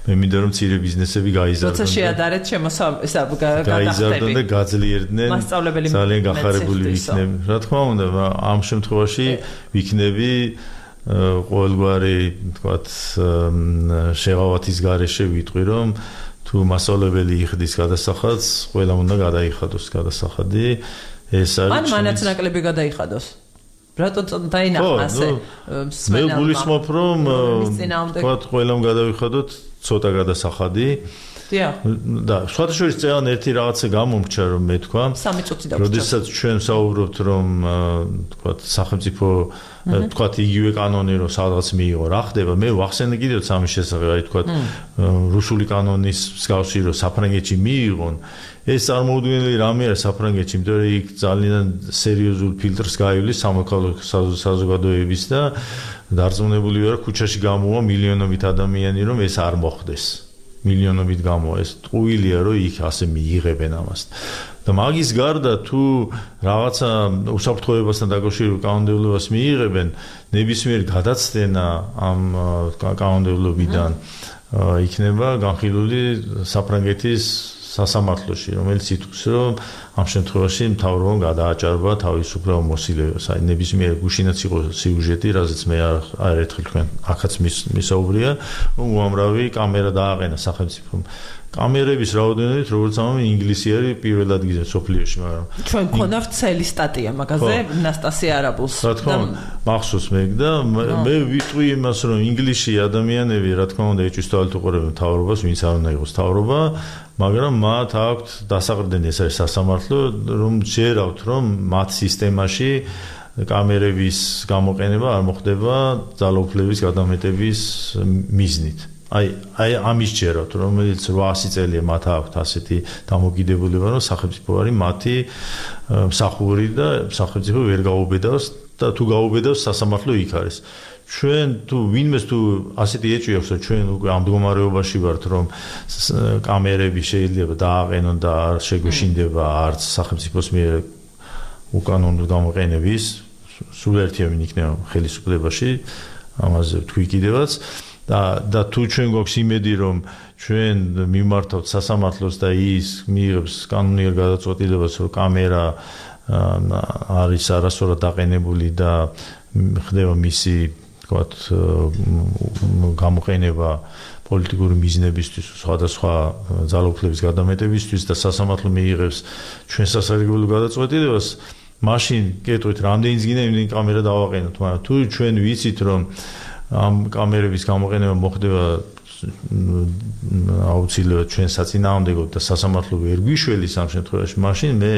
მე მინდა რომ მცირე ბიზნესები გაიზარდონ. როცა შეადარეთ შემოსავლა გაიზარდონ და გაძლიერდნენ. ძალიან გახარებული ვიქნები. რა თქმა უნდა, ამ შემთხვევაში ვიქნები ყოველგვარი თქვათ შეღავათის გარეშე ვიტყვი რომ თუ მასწავლებელი იხდის გადასახადს, ყველამ უნდა გადაიხადოს გადასახადი. ეს არის ან მანაც ნაკლები გადაიხადოს. რატო დაინახა ასე მე გულისხმობ რომ თქვათ ყველამ გადავიხადოთ ცოტა გადასახადი. დიახ. და სხვათა შორის წელან ერთი რაღაცა გამომრჩა რომ მე თქვა. სამი წუთი დაგვჭირდა. როდესაც ჩვენ საუბრობთ რომ თქვათ სახელმწიფო თქვათ იგივე კანონი რომ სადღაც მიიღო რა ხდება მე ვახსენე კიდევ სამი შესახებ აი თქვათ რუსული კანონის მსგავსი რომ საფრანგეთში მიიღონ ეს წარმოუდგენელი რამე არის საფრანგეთში იმიტომ რომ იქ ძალიან სერიოზულ ფილტრს გაივლის სამოქალაქო საზოგადოების და დარწმუნებული ვარ ქუჩაში გამოვა მილიონობით ადამიანი რომ ეს არ მოხდეს მილიონობით გამოვა ეს ტყუილია რომ იქ ასე მიიღებენ ამას და მაგის გარდა თუ რაღაცა უსაფრთხოებასთან დაკავშირებულ კანონმდებლობას მიიღებენ ნებისმიერ გადაცდენა ამ კანონმდებლობიდან იქნება განხილული საფრანგეთის სასამართლოში რომელიც ითქვს რომ ამ შემთხვევაში მთავრობამ გადააჭარბა თავისუფლება მოსილებას აი ნებისმიერ გუშინაც იყო სიუჟეტი რაზეც მე არ ერთხელ თქვენ აქაც მისაუბრია რომ უამრავი კამერა დააყენა სახელმწიფომ კამერების რაოდენობით როგორც ამბობენ ინგლისი არის პირველ ადგილზე სოფლიოში მაგრამ ჩვენ გქონდა ვრცელი სტატია მაგაზე ნასტასია არაბულს რა თქმა უნდა მახსოვს მე და მე ვიტყვი იმას რომ ინგლისში ადამიანები რა თქმა უნდა ეჭვის თვალით უყურებენ მთავრობას ვინც არ უნდა იყოს მთავრობა მაგრამ მათ აქვთ დასაყრდენი ეს არის სასამართლო რომ შეერავთ რომ მათ სისტემაში კამერების გამოყენება არ მოხდება ძალაუფლების გადამეტების მიზნით აი აი ამის ჯეროთ რომელიც რვაასი წელია მათ აქვთ ასეთი დამოკიდებულება რომ სახელმწიფო არის მათი მსახური და სახელმწიფო ვერ გაუბედავს და თუ გაუბედავს სასამართლო იქ არის ჩვენ თუ ვინმეს თუ ასეთი ეჭვი აქვს რომ ჩვენ უკვე ამ მდგომარეობაში ვართ რომ კამერები შეიძლება დააყენონ და არ შეგვეშინდება არც სახელმწიფოს მიერ უკანონო გამოყენების სულ ერთიანი იქნება ხელისუფლებაში ამაზე თქვი კიდევაც და და თუ ჩვენ გვაქვს იმედი რომ ჩვენ მიმართავთ სასამართლოს და ის მიიღებს კანონიერ გადაწყვეტილებას რომ კამერა არის არასწორად დაყენებული და ხდება მისი თქვათ გამოყენება პოლიტიკური მიზნებისთვის სხვადასხვა ძალაუფლების გადამეტებისთვის და სასამართლო მიიღებს ჩვენ სასარგებლო გადაწყვეტილებას მაშინ კეთვით რამდენიც გინდა იმდენი კამერა დავაყენოთ მაგრამ თუ ჩვენ ვიცით რომ ამ კამერების გამოყენება მოხდება აუცილებლად ჩვენ საწინააღმდეგოდ და სასამართლო ვერ გვიშველის ამ შემთხვევაში მაშინ მე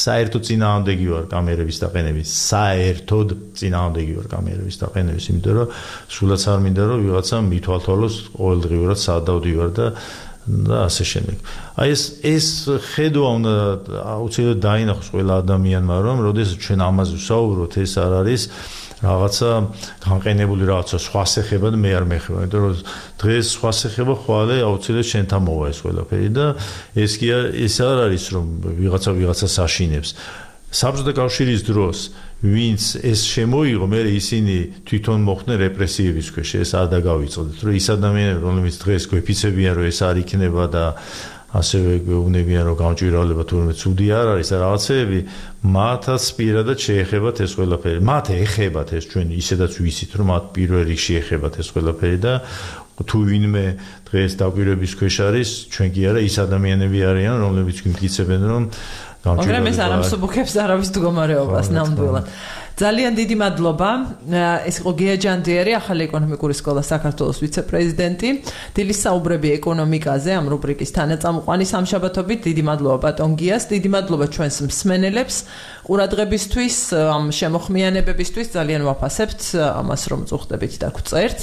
საერთოდ წინააღმდეგი ვარ კამერების დაყენების საერთოდ წინააღმდეგი ვარ კამერების დაყენების იმიტომ რომ სულაც არ მინდა რომ ვიღაცა მithვალთვალოს ყოველდღიურად სად დავდივარ და და ასე შემდეგ. აი ეს ეს ხედვა უნდა აუცილებლად დაინახოს ყველა ადამიანმა, რომ როდესაც ჩვენ ამაზე ვსაუბრობთ, ეს არ არის რაღაცა განყენებული რაღაცა სხვა შეხება და მე არ მეხება, იმიტომ რომ დღეს სხვა შეხება ხვალე აუცილებლად შენთან მოვა ეს ყველაფერი და ეს კი ეს არ არის რომ ვიღაცა ვიღაცას აშინებს. საბჭოთა კავშირის დროს ვინც ეს შემოიღო, მე ისინი თვითონ მოხდნენ რეპრესიების ქვეშ, ეს არ დაგავიწყდეთ, რომ ის ადამიანები, რომლებიც დღეს გვეფიცებიან, რომ ეს არ იქნება და ასევე გვეუბნებიან, რომ გამჭვირვალება თურმე ცუდი არ არის და რაღაცეები, მათაც პირადად შეეხებათ ეს ყველაფერი. მათ ეხებათ ეს ჩვენ ისედაც ვიცით, რომ მათ პირველ რიგში ეხებათ ეს ყველაფერი და თუ ვინმე დღეს დაკვირვების ქვეშ არის, ჩვენ კი არა, ის ადამიანები არიან, რომლებიც გვიმტკიცებენ, რომ მაგრამ ეს არ ამსუბუქებს არავის მდგომარეობას ნამდვილად. ძალიან დიდი მადლობა. ეს იყო გია ჯანდიერი, ახალი ეკონომიკური სკოლა საქართველოს ვიცე-პრეზიდენტი. დილის საუბრები ეკონომიკაზე ამ რუბრიკის თანაწამყვანი სამშაბათობით. დიდი მადლობა ბატონ გიას, დიდი მადლობა ჩვენს მსმენელებს ყურადღებისთვის, ამ შემოხმიანებებისთვის. ძალიან ვაფასებთ ამას, რომ წუხდებით და გვწერთ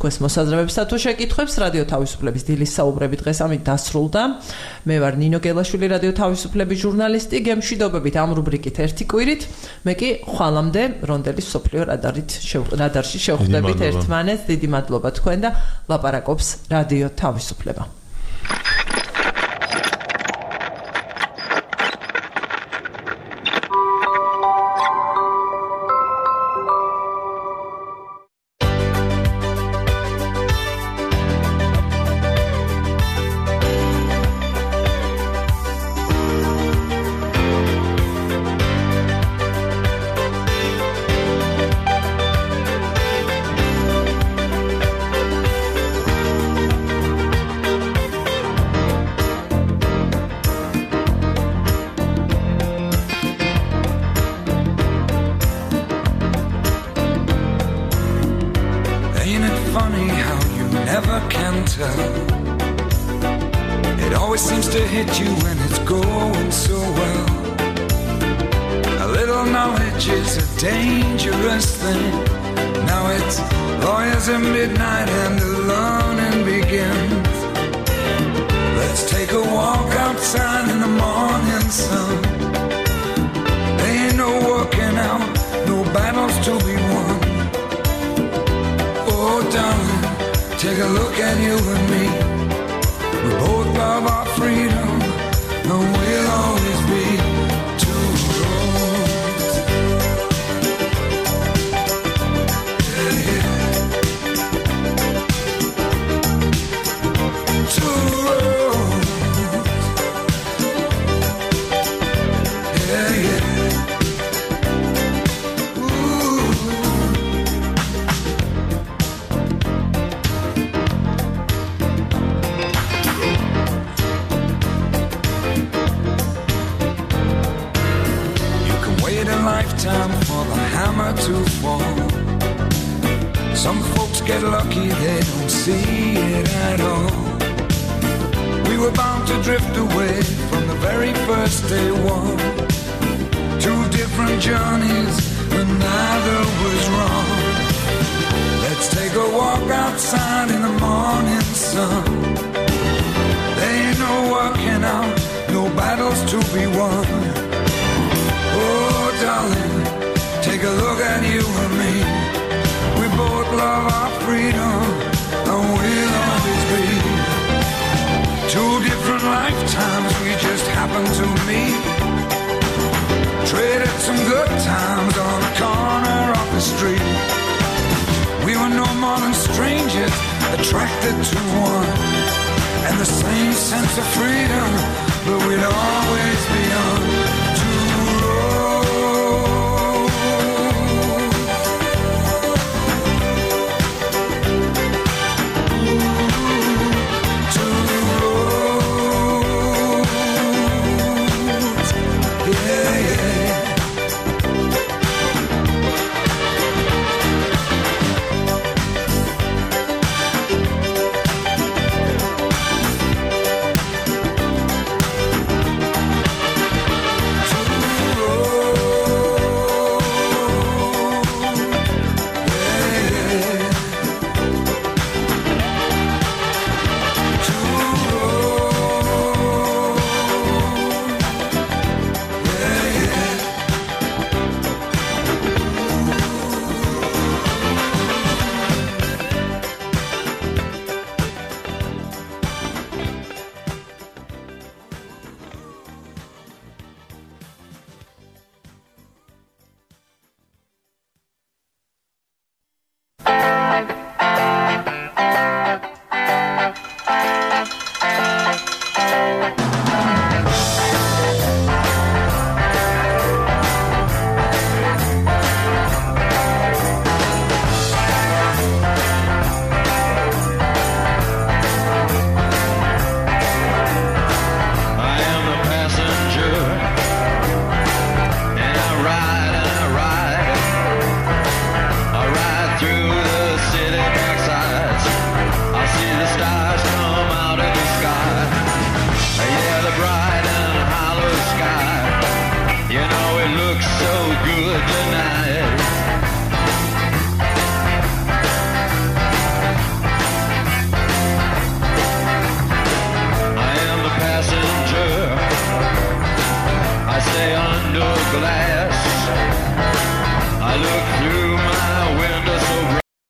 თქვენს მოსაზრებებსა თუ შეკითხვებს. რადიო თავისუფლების დილის საუბრები დღეს ამით დასრულდა. მე ვარ ნინო გელაშვილი, რადიო თავისუფლების ჟურნალისტი. გემშვიდობებით ამ რუბრიკით ერთი კვირით. მე კი ხვალამდე რონდელის სოფლიო რადარით რადარში შევხვდებით ერთმანეთს. დიდი მადლობა თქვენ და ლაპარაკობს რადიო თავისუფლება. Attracted to one and the same sense of freedom, but we'd always be on.